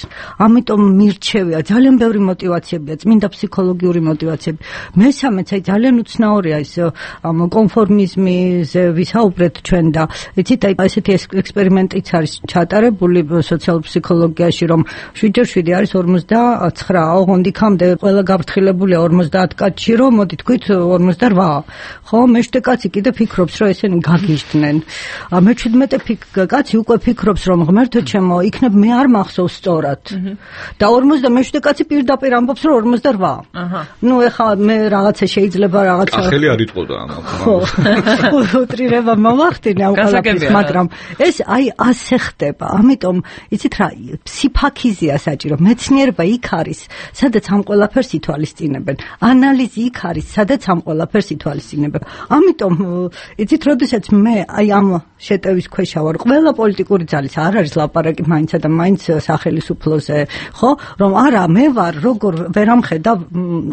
Speaker 4: ამიტომ მირჩევია ძალიან ბევრი мотиваციებია, წმინდა ფსიქოლოგიური мотиваციები. მესამეც აი ძალიან უცნაურია ეს ამ კონფორმიზმიზე ვისაუბრეთ ჩვენ და იცით აი ესეთი ექსპერიმენტიც არის ჩატარებული სოციალურ ფსიქოლოგიაში, რომ შვიდ ჯერ შვიდი არის ორმოცდაცხრა, ოღონდ იქამდე ყველა გაფრთხილებულია ორმოცდაათ კაცში, რომ მოდი თქვით ორმოცდარვა. ხო, მეშვიდე კაცი კიდე ფიქრობს, რომ ესენი გაგიჟდნენ. მეჩვიდმეტე კაცი უკვე ფიქრობს, რომ ღმერთო ჩემო, იქნებ მე არ მახსოვს სწორად. და ორმოცდამეშვიდე კაცი პირდაპირ ამბობს, რომ ორმოცდარვა. აჰა. ნუ ეხლა მე რაღაცა შეიძლება რაღაცა
Speaker 22: ახალი არ იტყოდა ამას.
Speaker 4: ხო. უტრირება მომახდინე ამ ყველაფერს, მაგრამ ეს აი ასე ხდება. ამიტომ იცით რა, ფსიფაქიზია საჭირო. მეცნიერება იქ არის, სადაც ამ ყველაფერს ითვალისწინებენ. ანალიზი იქ არის, სადაც ამ ყველაფერს ითვალისწინებენ. ამიტომ იცით, როდესაც მე აი ამ შეტევის ქვეშ ვარ, ყველა პოლიტიკური ძალის არ არის ლაპარაკი მაინცა და მაინც სახელმწიფოზე, ხო? რომ არა, მე ვარ, როგორ ვერ ამხედა,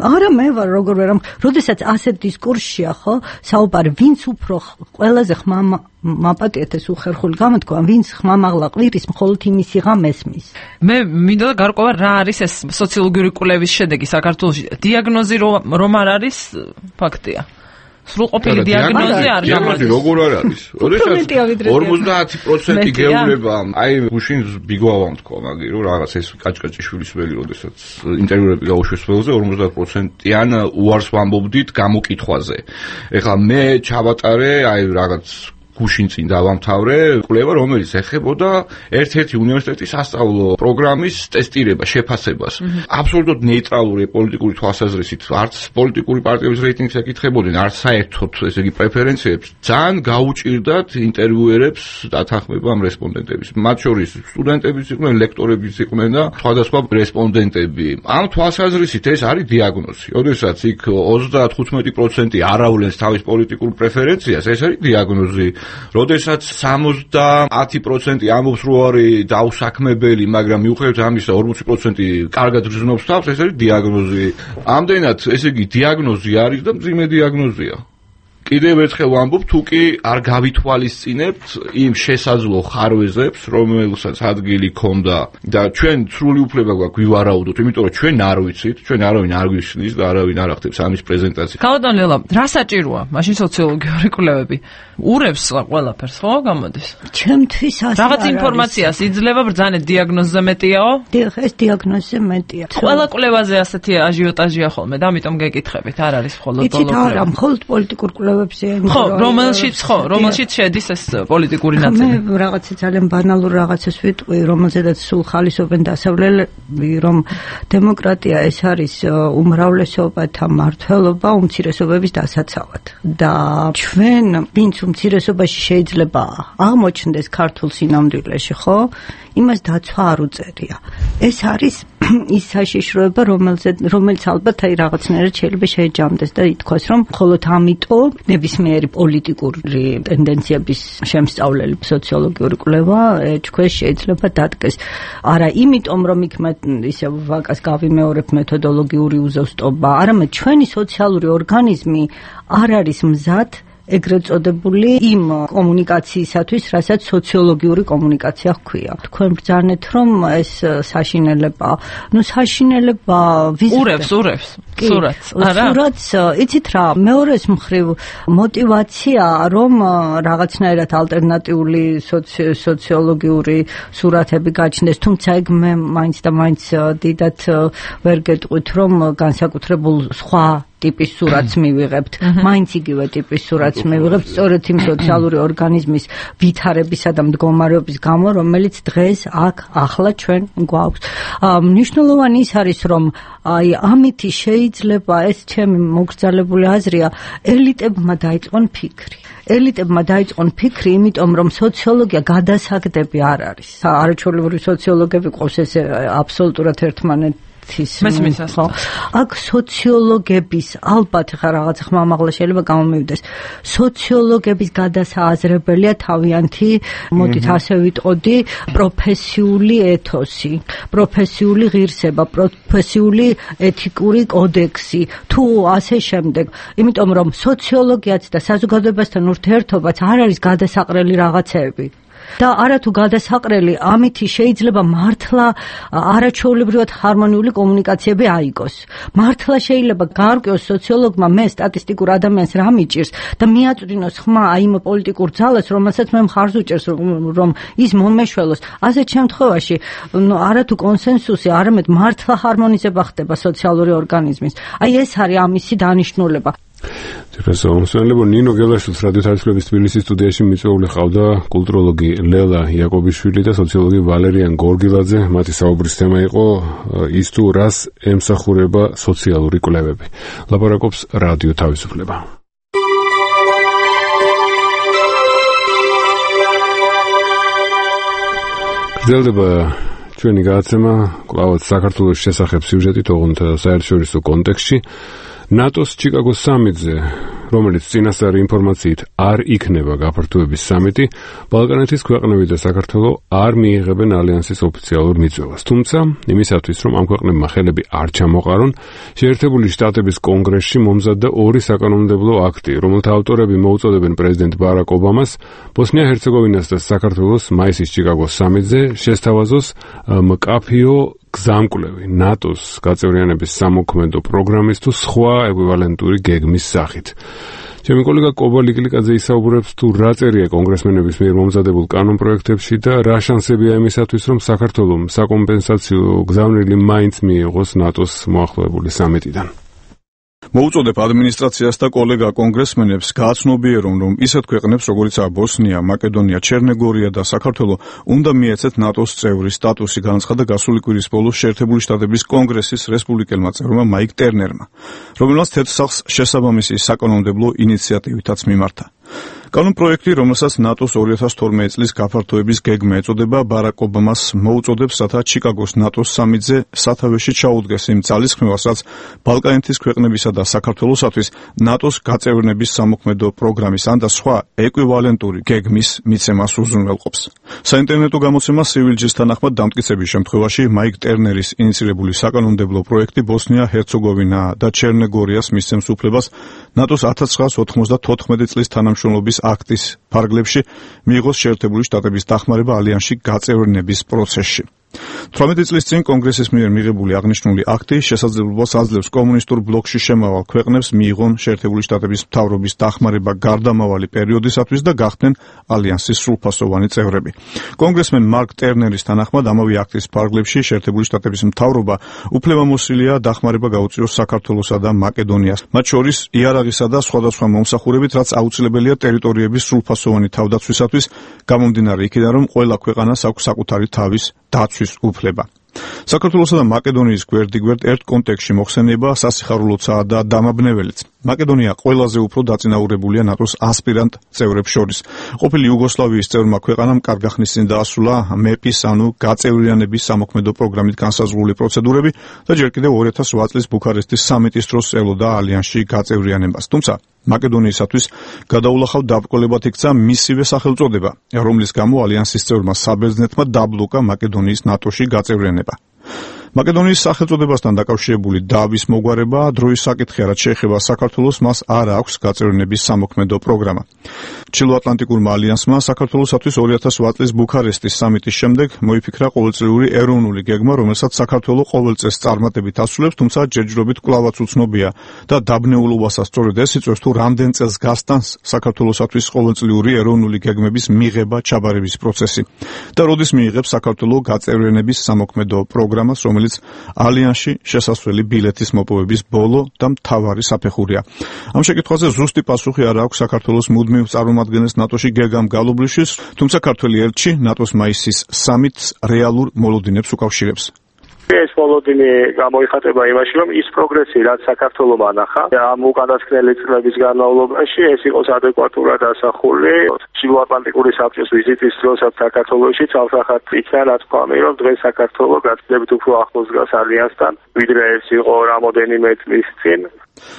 Speaker 4: არა მე ვარ, როგორ ვერ ამხედა. როდესაც ასეთ დისკურსია, ხო? საუბარი, ვინც უფრო ყველაზე ხმამა მაპატიეთ ეს უხერხული გამოთქვა, ვინც ხმამაღლა ყვირის, მხოლოდ იმისი ღამ ესმის.
Speaker 21: მე მინდა გარკვევა რა არის ეს სოციოლოგიური კვლევის შედეგი საქართველოში. დიაგნოზი რომ არ არის ფაქტია. სრულყოფილი დიაგნოზი არ
Speaker 22: დიაგნოზი როგორ არ არის? როდესაც ორმოცდაათი პროცენტი გეუბნება, აი გუშინ ბიგოავამ თქვა მაგი, რომ რაღაც ეს კაჭკაჭიშვილის ველი, როდესაც ინტერვიუები გაუშვეს ველზე, ორმოცდაათ პროცენტიან უარს ვამბობდით გამოკითხვაზე. ეხლა მე ჩავატარე, აი რაღაც გუშინ წინ დავამთავრე კვლევა, რომელიც ეხებოდა ერთ-ერთი უნივერსიტეტის სასწავლო პროგრამის ტესტირება, შეფასებას. აბსოლუტურად ნეიტრალური პოლიტიკური თვალსაზრისით, არც პოლიტიკური პარტიების რეიტინგს ეკითხებოდნენ, არც საერთოდ ესე იგი პრეფერენციებს. ძალიან გაუჭირდათ ინტერვიუერებს დათანხმება ამ რესპონდენტების. მათ შორის სტუდენტებიც იყვნენ, ლექტორებიც იყვნენ და სხვადასხვა რესპონდენტები. ამ თვალსაზრისით ეს არის დიაგნოზი. როდესაც იქ ოცდათხუთმეტი პროცენტი არავლენს თავის პოლიტიკურ პრეფერენციას, ეს არის დიაგნოზი. როდესაც სამოცდაათი პროცენტი ამბობს, რომ არის დაუსაქმებელი, მაგრამ მიუხედავად ამისა ორმოცი პროცენტი კარგად გრძნობს თავს, ეს არის დიაგნოზი. ამდენად, ესე იგი, დიაგნოზი არის და მძიმე დიაგნოზია. კიდევ ერთხელ ვამბობ, თუ კი არ გავითვალისწინებთ იმ შესაძლო ხარვეზებს, რომელსაც ადგილი ქონდა და ჩვენ სრული უფლება გვაქვს ვივარაუდოთ, იმიტომ რომ ჩვენ არ ვიცით, ჩვენ არავინ არ გვიშლის და არავინ არ ახდებს ამის პრეზენტაციას.
Speaker 21: ქალბატონ ლელა, რა საჭიროა მაშინ სოციოლოგიური კვლევები? урებს ყველაფერს, ხო, გამოდის?
Speaker 4: ჩემთვის ასე
Speaker 21: რაღაც ინფორმაციას იძლევა ბრძანეთ დიაგნოზზე მეტიაო?
Speaker 4: დიახ, ეს დიაგნოზზე მეტია.
Speaker 21: ყველა კვლევაზე ასეთი აჟიოტაჟია ხოლმე და ამიტომ გეკითხებით, არ არის მხოლოდ
Speaker 4: პოლო კვლევა. იცით, არა, მხოლოდ პოლიტიკურ კვლევებზე
Speaker 21: ხო, რომელშიც ხო, რომელშიც შედის ეს პოლიტიკური ნაწილი.
Speaker 4: მე რაღაცა ძალიან ბანალურ რაღაცას ვიტყვი, რომელზედაც სულ ხალისობენ დასავლელები, რომ დემოკრატია ეს არის უმრავლესობათა მმართველობა უმცირესობების დასაცავად. და ჩვენ ვინც უმცირესობაში შეიძლება აღმოჩნდეს ქართულ სინამდვილეში, ხო? იმას დაცვა არ უწევია. ეს არის ის საშიშროება, რომელზეც რომელიც ალბათ აი რაღაცნაირად შეიძლება შეეჯამდეს და ითქვას, რომ მხოლოდ ამიტომ ნებისმიერი პოლიტიკური ტენდენციების შემსწავლელი სოციოლოგიური კვლევა ეჭქვეშ შეიძლება დადგეს. არა იმიტომ, რომ იქ ისე ვაკას გავიმეორებ მეთოდოლოგიური უზუსტობა, არამედ ჩვენი სოციალური ორგანიზმი არ არის მზად ეგრეთ წოდებული იმ კომუნიკაციისათვის, რასაც სოციოლოგიური კომუნიკაცია ჰქვია. თქვენ ბრძანეთ, რომ ეს საშინელება, ну საშინელება
Speaker 21: урებს, урებს, სურათს, არა?
Speaker 4: სურათს, იცით რა, მეორეს მხრივ мотиваცია, რომ რაღაცნაირად ალტერნატიული სოციოლოგიური სურათები გაჩნდეს, თუმცა ეგ მე მაინც და მაინც დიდად ვერ გეტყვით, რომ განსაკუთრებულ სხვა ტიპის სურათს მივიღებთ, მაინც იგივე ტიპის სურათს მივიღებთ, სწორედ იმ სოციალური ორგანიზმის ვითარებისა და მდგომარეობის გამო, რომელიც დღეს აქ ახლა ჩვენ გვაქვს. მნიშვნელოვანი ის არის, რომ აი ამითი შეიძლება ეს ჩემი მოგრძალებული აზრია, ელიტებმა დაიწყონ ფიქრი. ელიტებმა დაიწყონ ფიქრი, იმიტომ რომ სოციოლოგია გადასაგდები არ არის. არაჩვეულებრივი სოციოლოგები ყავს ეს აბსოლუტურად ერთმანეთ
Speaker 21: მესმის
Speaker 4: ხო? აქ სოციოლოგების ალბათ ხა რაღაც ხმამაღლა შეიძლება გამომივიდეს. სოციოლოგების გადასააზრებელია თავიანთი, მოდით ასე ვიტყოდი, პროფესიული ეთოსი, პროფესიული ღირსება, პროფესიული ეთიკური კოდექსი, თუ ასე შემდეგ. იმიტომ რომ სოციოლოგიაც და საზოგადოებასთან ურთიერთობაც არ არის გადასაყრელი რაღაცეები. და არათუ გადასაყრელი, ამითი შეიძლება მართლა არაჩვეულებრივად ჰარმონიული კომუნიკაციები აიგოს. მართლა შეიძლება გაარკვიოს სოციოლოგმა მე სტატისტიკურ ადამიანს რა მიჭირს და მიაწვდინოს ხმა აი იმ პოლიტიკურ ძალას, რომელსაც მე მხარს უჭერს, რომ ის მომეშველოს. ასეთ შემთხვევაში არათუ კონსენსუსი, არამედ მართლა ჰარმონიზება ხდება სოციალური ორგანიზმის. აი ეს არის ამისი დანიშნულება.
Speaker 1: პროფესორ ნინო გელაშვილს რადიო თავისუფლების თბილისის სტუდიაში მიწვეული ყავდა კულტუროლოგი ლელა იაკობიშვილი და სოციოლოგი ვალერიან გორგილაძე. მათი საუბრის თემა იყო ის თუ რას ემსახურება სოციალური კვლევები. ლაპარაკობს რადიო თავისუფლება. გრძელდება ჩვენი გადაცემა კვლავაც საქართველოს შესახებ სიუჟეტით, ოღონდ საერთაშორისო კონტექსტში. ნატოს ჩიკაგოს სამიტზე, რომელიც წინასწარ ინფორმაციით არ იქნება გაფართოების სამიტი, ბალკანეთის ქვეყნები და საქართველო არ მიიღებენ ალიანსის ოფიციალურ მიწვევას. თუმცა, იმისათვის, რომ ამ ქვეყნებმა ხელები არ ჩამოყარონ, შეერთებული შტატების კონგრესში მომზადდა ორი საკანონმდებლო აქტი, რომელთა ავტორები მოუწოდებენ პრეზიდენტ ბარაკ ობამას ბოსნია-ჰერცეგოვინას და საქართველოს მაისის ჩიკაგოს სამიტზე შესთავაზოს მკაფიო გზამკვლევი ნატოს გაწევრიანების სამოქმედო პროგრამის თუ სხვა ეკვივალენტური გეგმის სახით. ჩემი კოლეგა კობა ლიკლიკაძე ისაუბრებს თუ რა წერია კონგრესმენების მიერ მომზადებულ კანონპროექტებში და რა შანსებია იმისათვის, რომ საქართველოს საკომპენსაციო გზავნილი მაინც მიიღოს ნატოს მოახლოებული სამიტიდან.
Speaker 3: მოუწოდებ ადმინისტრაციას და კოლეგა კონგრესმენებს გააცნობიერონ, რომ ისეთ ქვეყნებს, როგორიცაა ბოსნია, მაკედონია, ჩერნეგორია და საქართველო, უნდა მიეცეთ ნატოს წევრის სტატუსი, განაცხადა გასული კვირის ბოლოს შეერთებული შტატების კონგრესის რესპუბლიკელმა წევრმა მაიკ ტერნერმა, რომელმაც თეთრსახს შესაბამისი საკანონმდებლო ინიციატივითაც მიმართა. კანონპროექტი, რომელსაც ნატოს ორი ათას თორმეტი წლის გაფართოების გეგმა ეწოდება, ბარაკ ობამას მოუწოდებს, რათა ჩიკაგოს ნატოს სამიტზე სათავეში ჩაუდგეს იმ ძალისხმევას, რაც ბალკანეთის ქვეყნებისა და საქართველოსათვის ნატოს გაწევრიანების სამოქმედო პროგრამის ან და სხვა ეკვივალენტური გეგმის მიცემას უზრუნველყოფს. საინტერნეტო გამოცემა სივილჯის თანახმად დამტკიცების შემთხვევაში მაიკ ტერნერის ინიციირებული საკანონმდებლო პროექტი ბოსნია-ჰერცეგოვინა და ჩერნეგორიას მისცემს უფლებას ნატოს ათას ცხრაას ოთხმოცდათოთხმეტი წლის თანამშრომლობის აქტის ფარგლებში მიიღოს შეერთებული შტატების დახმარება ალიანსში გაწევრიანების პროცესში. თვრამეტი წლის წინ კონგრესის მიერ მიღებული აღნიშნული აქტი შესაძლებლობას აძლევს კომუნისტურ ბლოკში შემავალ ქვეყნებს მიიღონ შეერთებული შტატების მთავრობის დახმარება გარდამავალი პერიოდისათვის და გახდნენ ალიანსის სრულფასოვანი წევრები. კონგრესმენ მარკ ტერნერის თანახმად ამავე აქტის ფარგლებში შეერთებული შტატების მთავრობა უფლებამოსილია დახმარება გაუწიოს საქართველოსა და მაკედონიას, მათ შორის იარაღისა და სხვადასხვა მომსახურებით, რაც აუცილებელია ტერიტორიების სრულფასოვანი თავდაცვისათვის, გამომდინარე იქიდან, რომ ყველა ქვეყანას აქვს საკუთარი თავის დაცვის უფლება. საქართველოსა და მაკედონიის გვერდიგვერდ ერთ კონტექსტში მოხსენება სასიხარულოა და დამაბნეველიც. მაკედონია ყველაზე უფრო დაწინაურებულია ნატოს ასპირანტ წევრებს შორის. ყოფილი იუგოსლავიის წევრმა ქვეყანამ კარგა ხნის წინ დაასრულა მეპის, ანუ გაწევრიანების სამოქმედო პროგრამით განსაზღვრული პროცედურები და ჯერ კიდევ ორი ათას ოთხ წლის ბუქარესტის სამიტის დროს ელოდა ალიანსში გაწევრიანებას. თუმცა მაკედონიისათვის გადაულახავ დაბრკოლებად იქცა მისივე სახელწოდება, რომლის გამო ალიანსის წევრმა საბერძნეთმა დაბლოკა მაკედონიის ნატოში გაწევრიანება. მაკედონიის სახელწოდებასთან დაკავშირებული დავის მოგვარება დროის საკითხია, რაც შეეხება საქართველოს, მას არ აქვს გაწევრიანების სამოქმედო პროგრამა. ჩრდილოატლანტიკურმა ალიანსმა საქართველოსათვის ორი ათას ოთხ წლის ბუქარესტის სამიტის შემდეგ მოიფიქრა ყოველწლიური ეროვნული გეგმა, რომელსაც საქართველო ყოველ წელს წარმატებით ასრულებს, თუმცა ჯერჯერობით კვლავაც უცნობია და დაბნეულობასაც სწორედ ეს იწვევს, თუ რამდენ წელს გასტანს საქართველოსათვის ყოველწლიური ეროვნული გეგმების მიღება ჩაბარების პროცესი და როდის მიიღებს საქართველო გაწევრიანების სამოქმედო პროგრამას, რომელიც ალიანსში შესასვლელი ბილეთის მოპოვების ბოლო და მთავარი საფეხურია. ამ შეკითხვაზე ზუსტი პასუხი არ აქვს საქართველოს მუდმივ წარმომადგენელს ნატოში გეგამ გალობლიშვილს, თუმცა ქართველი ელჩი ნატოს მაისის სამიტს რეალურ მოლოდინებს უკავშირებს.
Speaker 5: ეს მოლოდინი გამოიხატება იმაში, რომ ის პროგრესი, რაც საქართველომ ანახა, ამ უკანასკნელი წლების განმავლობაში, ეს იყოს ადეკვატურად ასახული ჩრდილოატლანტიკური საბჭოს ვიზიტის დროსაც საქართველოში, თავსახად იქნა, რა თქმა უნდა, რომ დღეს საქართველო გაცილებით უფრო ახლოს დგას ალიანსთან, ვიდრე ეს იყო რამოდენიმე წლის წინ.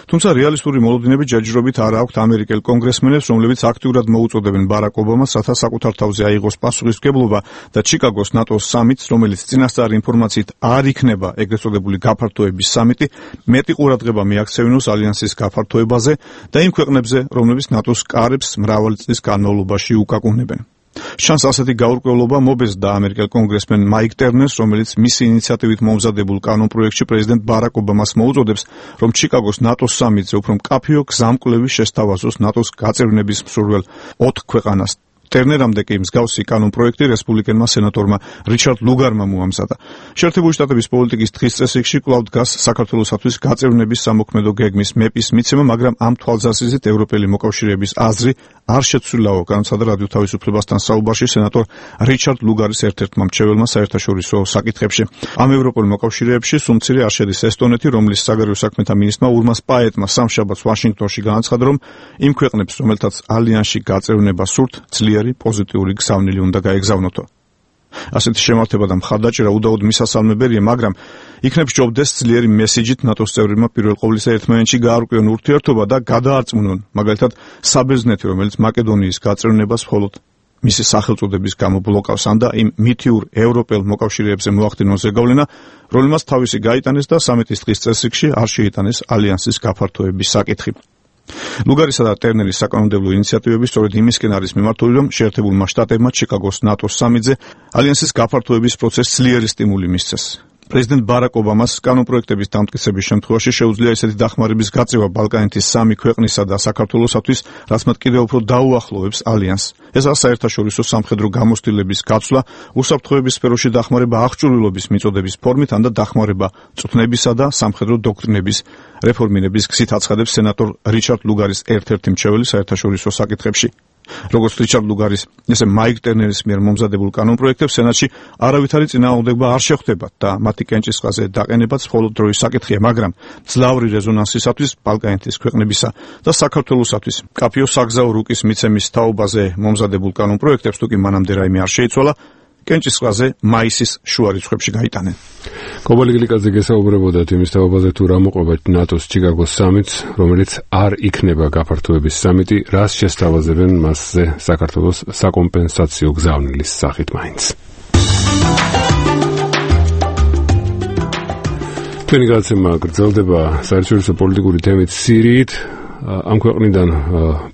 Speaker 3: თუმცა რეალისტური მოლოდინები ჯერჯერობით არ აქვთ ამერიკელ კონგრესმენებს, რომლებიც აქტიურად მოუწოდებენ ბარაკ ობამას, რათა საკუთარ თავზე აიღოს პასუხისმგებლობა და ჩიკაგოს ნატოს სამიტს, რომელიც წინასწარი ინფორმაციით არ იქნება ეგრეთ წოდებული გაფართოების სამიტი, მეტი ყურადღება მიაქცევინოს ალიანსის გაფართოებაზე და იმ ქვეყნებზე, რომლებიც ნატოს კარებს მრავალი წლის განმავლობაში უკაკუნებენ. შანს ასეთი გაურკვევლობა მობეზდა ამერიკელ კონგრესმენ მაიკ ტერნერს, რომელიც მისი ინიციატივით მომზადებულ კანონპროექტში პრეზიდენტ ბარაკ ობამას მოუწოდებს, რომ ჩიკაგოს ნატოს სამიტზე უფრო მკაფიო გზამკვლევი შესთავაზოს ნატოს გაწევრიანების მსურველ ოთხ ქვეყანას. ტერნერამდე კი მსგავსი კანონპროექტი რესპუბლიკელმა სენატორმა რიჩარდ ლუგარმა მოამზადა. შეერთებული შტატების პოლიტიკის დღის წესრიგში კვლავ დგას საქართველოსათვის გაწევრიანების სამოქმედო გეგმის მეპის მიცემა, მაგრამ ამ თვალსაზრისით ევროპელი მოკავშირეების აზრი არ შეცვლილაო, განაცხადა რადიო თავისუფლებასთან საუბარში სენატორ რიჩარდ ლუგარის ერთ-ერთმა მრჩეველმა საერთაშორისო საკითხებში. ამ ევროპელ მოკავშირეებში სულ მცირე არ შედის ესტონეთი, რომლის საგარეო საქმეთა მინისტრმა ურმას პაეტმა სამშაბათს ვაშინგტონში განაცხადა, რომ იმ ქვეყნებს, რომელთაც ალიანსში გაწევრიანება სურთ, ძლიერი პოზიტიური გზავნილი უნდა გაეგზავნოთო. ასეთი შემართება და მხარდაჭერა უდაოდ მისასალმებელია, მაგრამ იქნებ სჯობდეს ძლიერი მესიჯით ნატოს წევრებმა პირველ ყოვლისა ერთმანეთში გაარკვიონ ურთიერთობა და გადაარწმუნონ, მაგალითად, საბერძნეთი, რომელიც მაკედონიის გაწევრიანებას მხოლოდ მისი სახელწოდების გამო ბლოკავს, ან და იმ მითიურ ევროპელ მოკავშირეებზე მოახდინოს ზეგავლენა, რომელმაც თავისი გაიტანეს და სამიტის დღის წესრიგში არ შეიტანეს ალიანსის გაფართოების საკითხი. ლუგარისა და ტერნერის საკანონმდებლო ინიციატივები სწორედ იმისკენ არის მიმართული, რომ შეერთებულმა შტატებმა ჩიკაგოს ნატოს სამიტზე ალიანსის გაფართოების პროცესს ძლიერი სტიმული მისცეს. პრეზიდენტ ბარაკ ობამას კანონპროექტების დამტკიცების შემთხვევაში შეუძლია ესეთი დახმარების გაწევა ბალკანეთის სამი ქვეყნისა და საქართველოსათვის, რაც მათ კიდევ უფრო დაუახლოვებს ალიანსს. ესაა საერთაშორისო სამხედრო გამოცდილების გაცვლა, უსაფრთხოების სფეროში დახმარება აღჭურვილობის მიწოდების ფორმით, ან და დახმარება წვნებისა და სამხედრო დოქტრინების რეფორმირების გზით, აცხადებს სენატორ რიჩარდ ლუგარის ერთ-ერთი მრჩეველი საერთაშორისო საკითხებში. როგორც რიჩარდ ლუგარის, ესე მაიკ ტერნერის მიერ მომზადებულ კანონპროექტებს სენატში არავითარი წინააღმდეგობა არ შეხვდება და მათი კენჭისყრაზე დაყენებაც მხოლოდ დროის საკითხია, მაგრამ მძლავრი რეზონანსისათვის ბალკანეთის ქვეყნებისა და საქართველოსათვის მკაფიო საგზაო რუკის მიცემის თაობაზე მომზადებულ კანონპროექტებს თუ კი მანამდე რაიმე არ შეიცვალა, კენჭისყრაზე მაისის შუა რიცხვებში გაიტანენ.
Speaker 1: კობალი გლიკაძე გესაუბრებოდათ იმის თაობაზე, თუ რა მოყვება ნატოს ჩიკაგოს სამიტს, რომელიც არ იქნება გაფართოების სამიტი, რას შესთავაზებენ მასზე საქართველოს საკომპენსაციო გზავნილის სახით მაინც. ჩვენი გადაცემა გრძელდება საერთაშორისო პოლიტიკური თემით სირიით. ამ ქვეყნიდან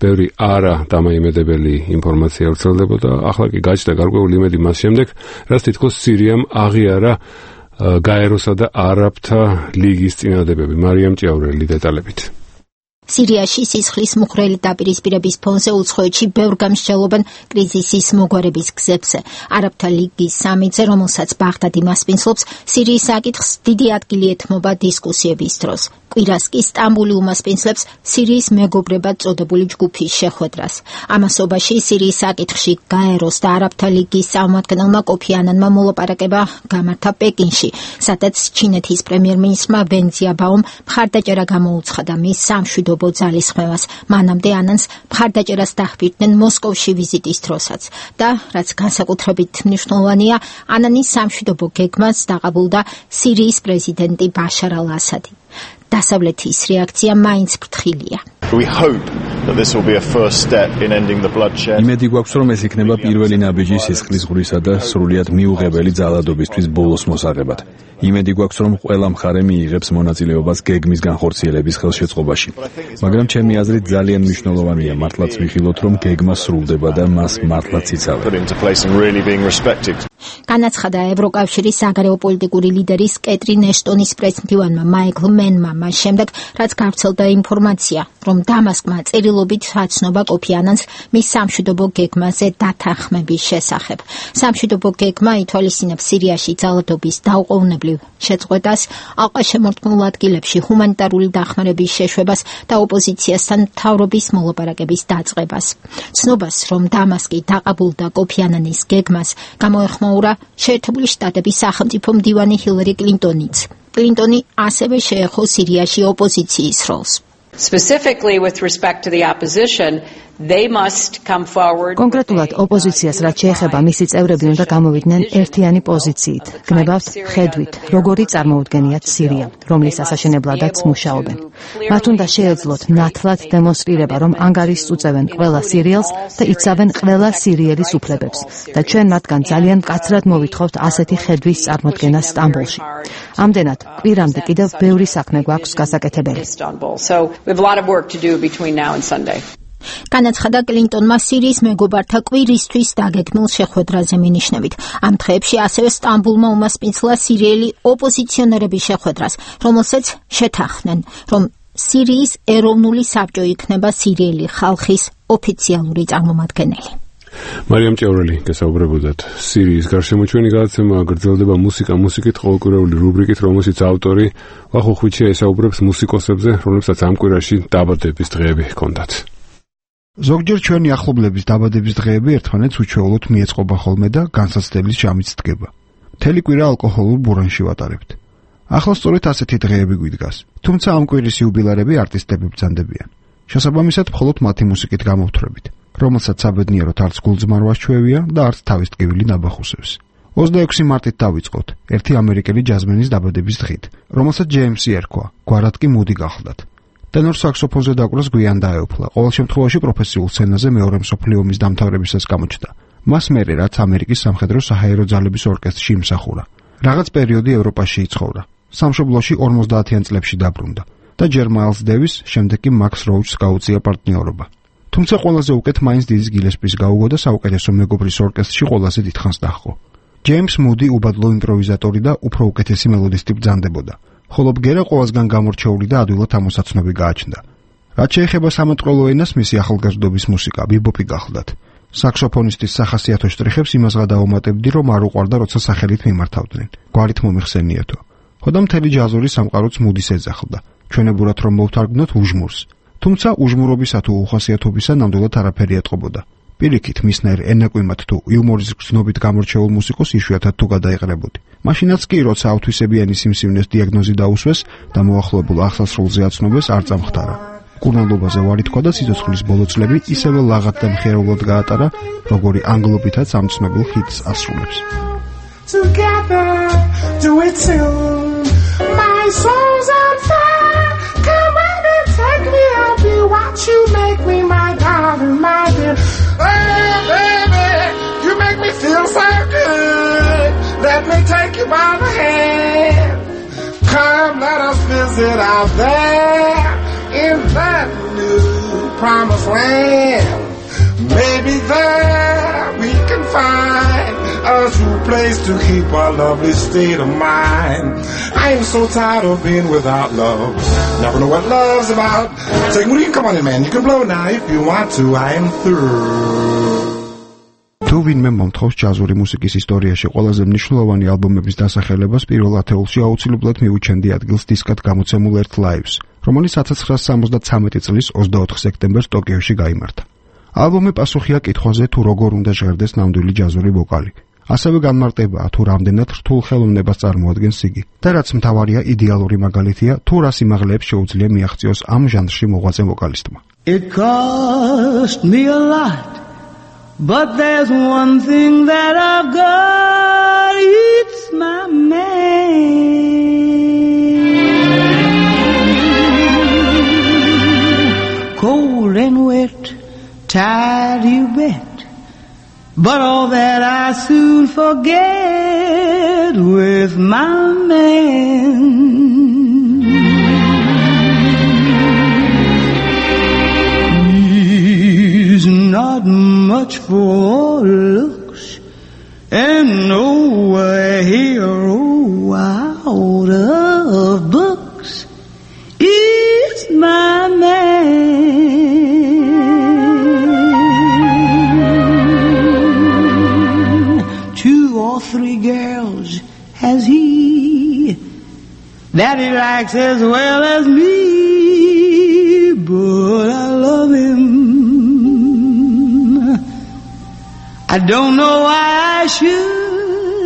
Speaker 1: ბევრი არა დამაიმედებელი ინფორმაცია ვრცელდებოდა. ახლა კი გაჩნდა გარკვეული იმედი მას შემდეგ, რაც თითქოს სირიამ აღიარა გაეროსა და არაბთა ლიგის წინადადებები. მარიამ ჭიაურელი დეტალებით.
Speaker 2: სირიაში სისხლის მუხრელი დაპირისპირების ფონზე უცხოეთში ბევრ გამსჯელობენ კრიზისის მოგვარების გზებზე. არაბთა ლიგის სამიტზე, რომელსაც ბაღდადი მასპინძლობს, სირიის საკითხს დიდი ადგილი ეთმობა დისკუსიების დროს. კვირას კი სტამბული უმასპინძლებს სირიის მეგობრებად წოდებული ჯგუფის შეხვედრას. ამასობაში სირიის საკითხში გაეროს და არაბთა ლიგის წარმომადგენელმა კოფი ანანმა მოლაპარაკება გამართა პეკინში, სადაც ჩინეთის პრემიერ-მინისტრმა ვენ ძიაბაომ მხარდაჭერა გამოუცხადა მის სამშვიდობო ძალისხმევას. მანამდე ანანს მხარდაჭერას დაჰვირდნენ მოსკოვში ვიზიტის დროსაც და რაც განსაკუთრებით მნიშვნელოვანია, ანანის სამშვიდობო გეგმას დაყაბულდა სირიის პრეზიდენტი ბაშარ ალ-ასადი. დასავლეთის რეაქცია მაინც ფრთხილია.
Speaker 8: We hope that this will be a first step in ending the bloodshed.
Speaker 23: იმედი გვაქვს, რომ ეს იქნება პირველი ნაბიჯი სისხლის ღვრისა და სრულიად მიუღებელი ძალადობისთვის ბოლოს მოსაღებად. იმედი გვაქვს, რომ ყველა მხარე მიიღებს მონაწილეობას გეგმის განხორციელების ხელშეწყობაში. მაგრამ ჩემი აზრით ძალიან მნიშვნელოვანია მართლაც ვიხილოთ, რომ გეგმა სრულდება და მას მართლაც იცავენ.
Speaker 2: განაცხადა ევროკავშირის საგარეო პოლიტიკური ლიდერის კეტრინ ეშტონის პრეზიდენტმა მაიკლ მენმა მას შემდეგ, რაც გავრცელდა ინფორმაცია, რომ დამასკმა წერილობით აცნობა კოფი ანანს მის სამშვიდობო გეგმაზე დათანხმების შესახებ. სამშვიდობო გეგმა ითვალისწინებს სირიაში ძალადობის დაუყოვნებლივ შეწყვეტას, ალყაშემორტყმულ ადგილებში ჰუმანიტარული დახმარების შეშვებას და ოპოზიციასთან მთავრობის მოლაპარაკების დაწყებას. ცნობას, რომ დამასკი დაყაბულდა კოფი ანანის გეგმას, გამოეხმაურა დაუყურა შეერთებული შტატების სახელმწიფო მდივანი ჰილარი კლინტონიც. კლინტონი ასევე შეეხო სირიაში ოპოზიციის როლს.
Speaker 6: Specifically with respect to the opposition, they must come forward.
Speaker 9: კონკრეტულად ოპოზიციას რაც შეეხება მისი წევრები უნდა გამოვიდნენ ერთიანი პოზიციით. გნებავთ ხედვით, როგორი წარმოუდგენიათ სირია, რომლის ასაშენებლადაც მუშაობენ. მათ უნდა შეეძლოთ ნათლად დემონსტრირება, რომ ანგარიშს უწევენ ყველა სირიელს და იცავენ ყველა სირიელის უფლებებს და ჩვენ მათგან ძალიან მკაცრად მოვითხოვთ ასეთი ხედვის წარმოდგენა სტამბოლში. ამდენად, კვირამდე კიდევ ბევრი საქმე გვაქვს გასაკეთებელი.
Speaker 6: We have a lot of work to do between now and Sunday.
Speaker 2: განაცხადა კლინტონმა სირიის მეგობართა კვირისთვის დაგეგმილ შეხვედრაზე მინიშნებით. ამ დღეებში ასევე სტამბულმა უმასპინძლა სირიელი ოპოზიციონერების შეხვედრას, რომელსაც შეთანხმდნენ, რომ სირიის ეროვნული საბჭო იქნება სირიელი ხალხის ოფიციალური წარმომადგენელი.
Speaker 1: მარიამ ჭევრელი გესაუბრებოდათ. სირიის გარშემო ჩვენი გადაცემა გრძელდება მუსიკა მუსიკით ყოველკვირეული რუბრიკით, რომელშიც ავტორი ვახო ხვიჩია ესაუბრებს მუსიკოსებზე, რომლებსაც ამ კვირაში დაბადების დღეები ჰქონდათ.
Speaker 10: ზოგჯერ ჩვენი ახლობლების დაბადების დღეები ერთმანეთს უჩვეულოდ მიეწყობა ხოლმე და განსაცდელის ჟამიც დგება. მთელი კვირა ალკოჰოლურ ბურანში ვატარებთ. ახლა სწორედ ასეთი დღეები გვიდგას. თუმცა ამ კვირის იუბილარები არტისტები ბრძანდებიან. შესაბამისად, მხოლოდ მათი მუსიკით გამოვთვრებით, რომელსაც საბედნიეროდ არც გულძმარვას ჩვევია და არც თავის ტკივილი ნაბახუსებს. ოცდაექვსი მარტით დავიწყოთ ერთი ამერიკელი ჯაზმენის დაბადების დღით, რომელსაც ჯეიმსი ერქვა, გვარად კი მუდი გახლდათ. ტენორ საქსოფონზე დაკვრას გვიან დაეუფლა, ყოველ შემთხვევაში პროფესიულ სცენაზე მეორე მსოფლიო ომის დამთავრებისას გამოჩნდა. მას მერე რაც ამერიკის სამხედრო საჰაერო ძალების ორკესტრში იმსახურა. რაღაც პერიოდი ევროპაში იცხოვრა. სამშობლოში ორმოცდაათიან წლებში დაბრუნდა და ჯერ მაილს დევის, შემდეგ კი მაქს როუჩს გაუწია პარტნიორობა. თუმცა ყველაზე უკეთ მაინც დიდი გილესპის გაუგო და საუკეთესო მეგობრის ორკესტრში ყველაზე დიდხანს დაჰყო. ჯეიმს მუდი უბადლო იმპროვიზატორი და უფრო უკეთესი მელოდისტი ბრძანდებოდა. ხოლო ბგერა ყოველსგან გამორჩეული და ადვილად ამოსაცნობი გააჩნდა. რაც შეეხება სამატყრელო ენას, მისი ახალგაზრდობის მუსიკა ბიბოპი გახლდათ. საქსოფონისტის სახასიათო შტრიხებს იმას გადაუმატებდი, რომ არ უყვარდა, როცა სახელით მიმართავდნენ. გვარით მომიხსენიეთო. ხოდა მთელი ჯაზური სამყაროც მუდის ეძახდა. ჩვენებურად რომ მოვთარგმნოთ უჟმურს. თუმცა უჟმურობისა თუ უხასიათობისა ნამდვილად არაფერი ეტყობოდა. პირიქით, მისნაირ ენაკვიმად თუ იუმორის გზნობით გამორჩეულ მუსიკოს იშვიათად თუ გადაეყრებოდი. მაშინაც კი, როცა ავთვისებიანი სიმსივნეს დიაგნოზი დაუსვეს და მოახლოებულ აღსასრულზე აცნობეს, არ წამხდარა. კურნალობაზე ვარი თქვა და სიცოცხლის ბოლო წლები ისევე ლაღად და მხიარულად გაატარა, როგორი ანგლობითაც ამ ცნობილ ჰიტს ასრულებს.
Speaker 24: Together, do it soon. My soul's on fire. Come on and take me, I'll be what you make me, my darling, my dear. Hey, baby, you make me feel so good. Let me take you by the hand. Come, let us visit out there in that new promised land. Maybe there we can find a true place to keep our lovely state of mind. I am so tired of being without love. Never know what love's about. Take me, come on in, man. You can blow now if you want to. I am through.
Speaker 10: თუ ვინმე მომთხოვს ჯაზური მუსიკის ისტორიაში ყველაზე მნიშვნელოვანი ალბომების დასახელებას, პირველ ათეულში აუცილებლად მიუჩენდი ადგილს დისკად გამოცემულ ერთ ლაივს, რომელიც ათას ცხრაასი სამოცდათვრამეტი წლის ოცდაოთხ სექტემბერს ტოკიოში გაიმართა. ალბომი პასუხია კითხვაზე, თუ როგორ უნდა ჟღერდეს ნამდვილი ჯაზური ვოკალი. ასევე განმარტებაა, თუ რამდენად რთულ ხელოვნებას წარმოადგენს იგი და რაც მთავარია, იდეალური მაგალითია, თუ რა სიმაღლეებს შეუძლია მიაღწიოს ამ ჟანრში მოღვაწე ვოკალისტმა.
Speaker 24: It cost me a lot, but there's one thing that I've got, it's my man. Cold and wet, tired you bet, but all that I soon forget with my man. He's not much for looks and no a hero out of books. It's my man. Two or three girls has he that he likes as well as me, but I love him. I don't know why I should,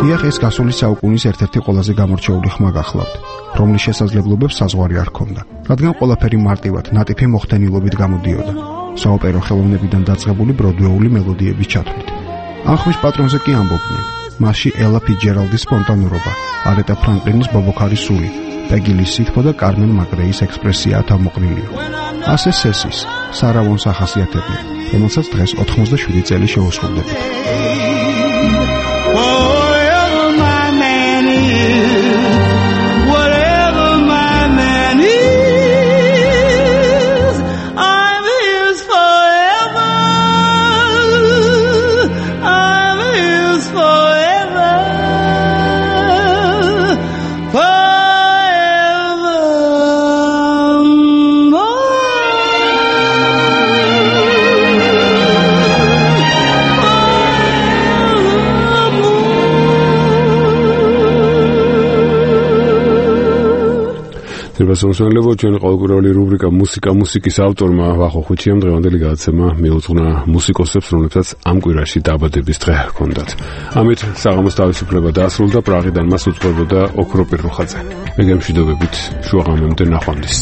Speaker 10: დიახ, ეს გასული საუკუნის ერთ-ერთი ყველაზე გამორჩეული ხმა გახლავთ, რომლის შესაძლებლობებს საზღვარი არ ჰქონდა, რადგან ყველაფერი მარტივად, ნატიფი მოხდენილობით გამოდიოდა, საოპერო ხელოვნებიდან დაწყებული ბროდვეული მელოდიების ჩათვლით. ამ ხმის პატრონზე კი ამბობდნენ, მასში ელა ფიცჯერალდის სპონტანურობა, არეტა ფრანკლინის ბობოქარის სული, პეგილის სითბო და კარმენ მაგრეის ექსპრესიაა თავმოყრილი. ასე სესის, სარავონს ახასიათებდნენ, რომელსაც დღეს ოთხმოცდაშვიდი წელი შეუსრულდებოდა.
Speaker 1: Basosonlevo ჩვენ ყოველკვირეული რუბრიკა მუსიკა მუსიკის ავტორმა ვახო ხუჩიამ დღევანდელი გადაცემა მიუძღვნა მუსიკოსებს, რომლებსაც ამ კვირაში დაბადების დღე ჰქონდათ. ამით საღამოს თავისუფლება დაასრულდა, პრაღიდან მას უძღვებოდა ოქრო პირუხაძე. მე გემშვიდობებით შუაღამემდე ნახვამდის.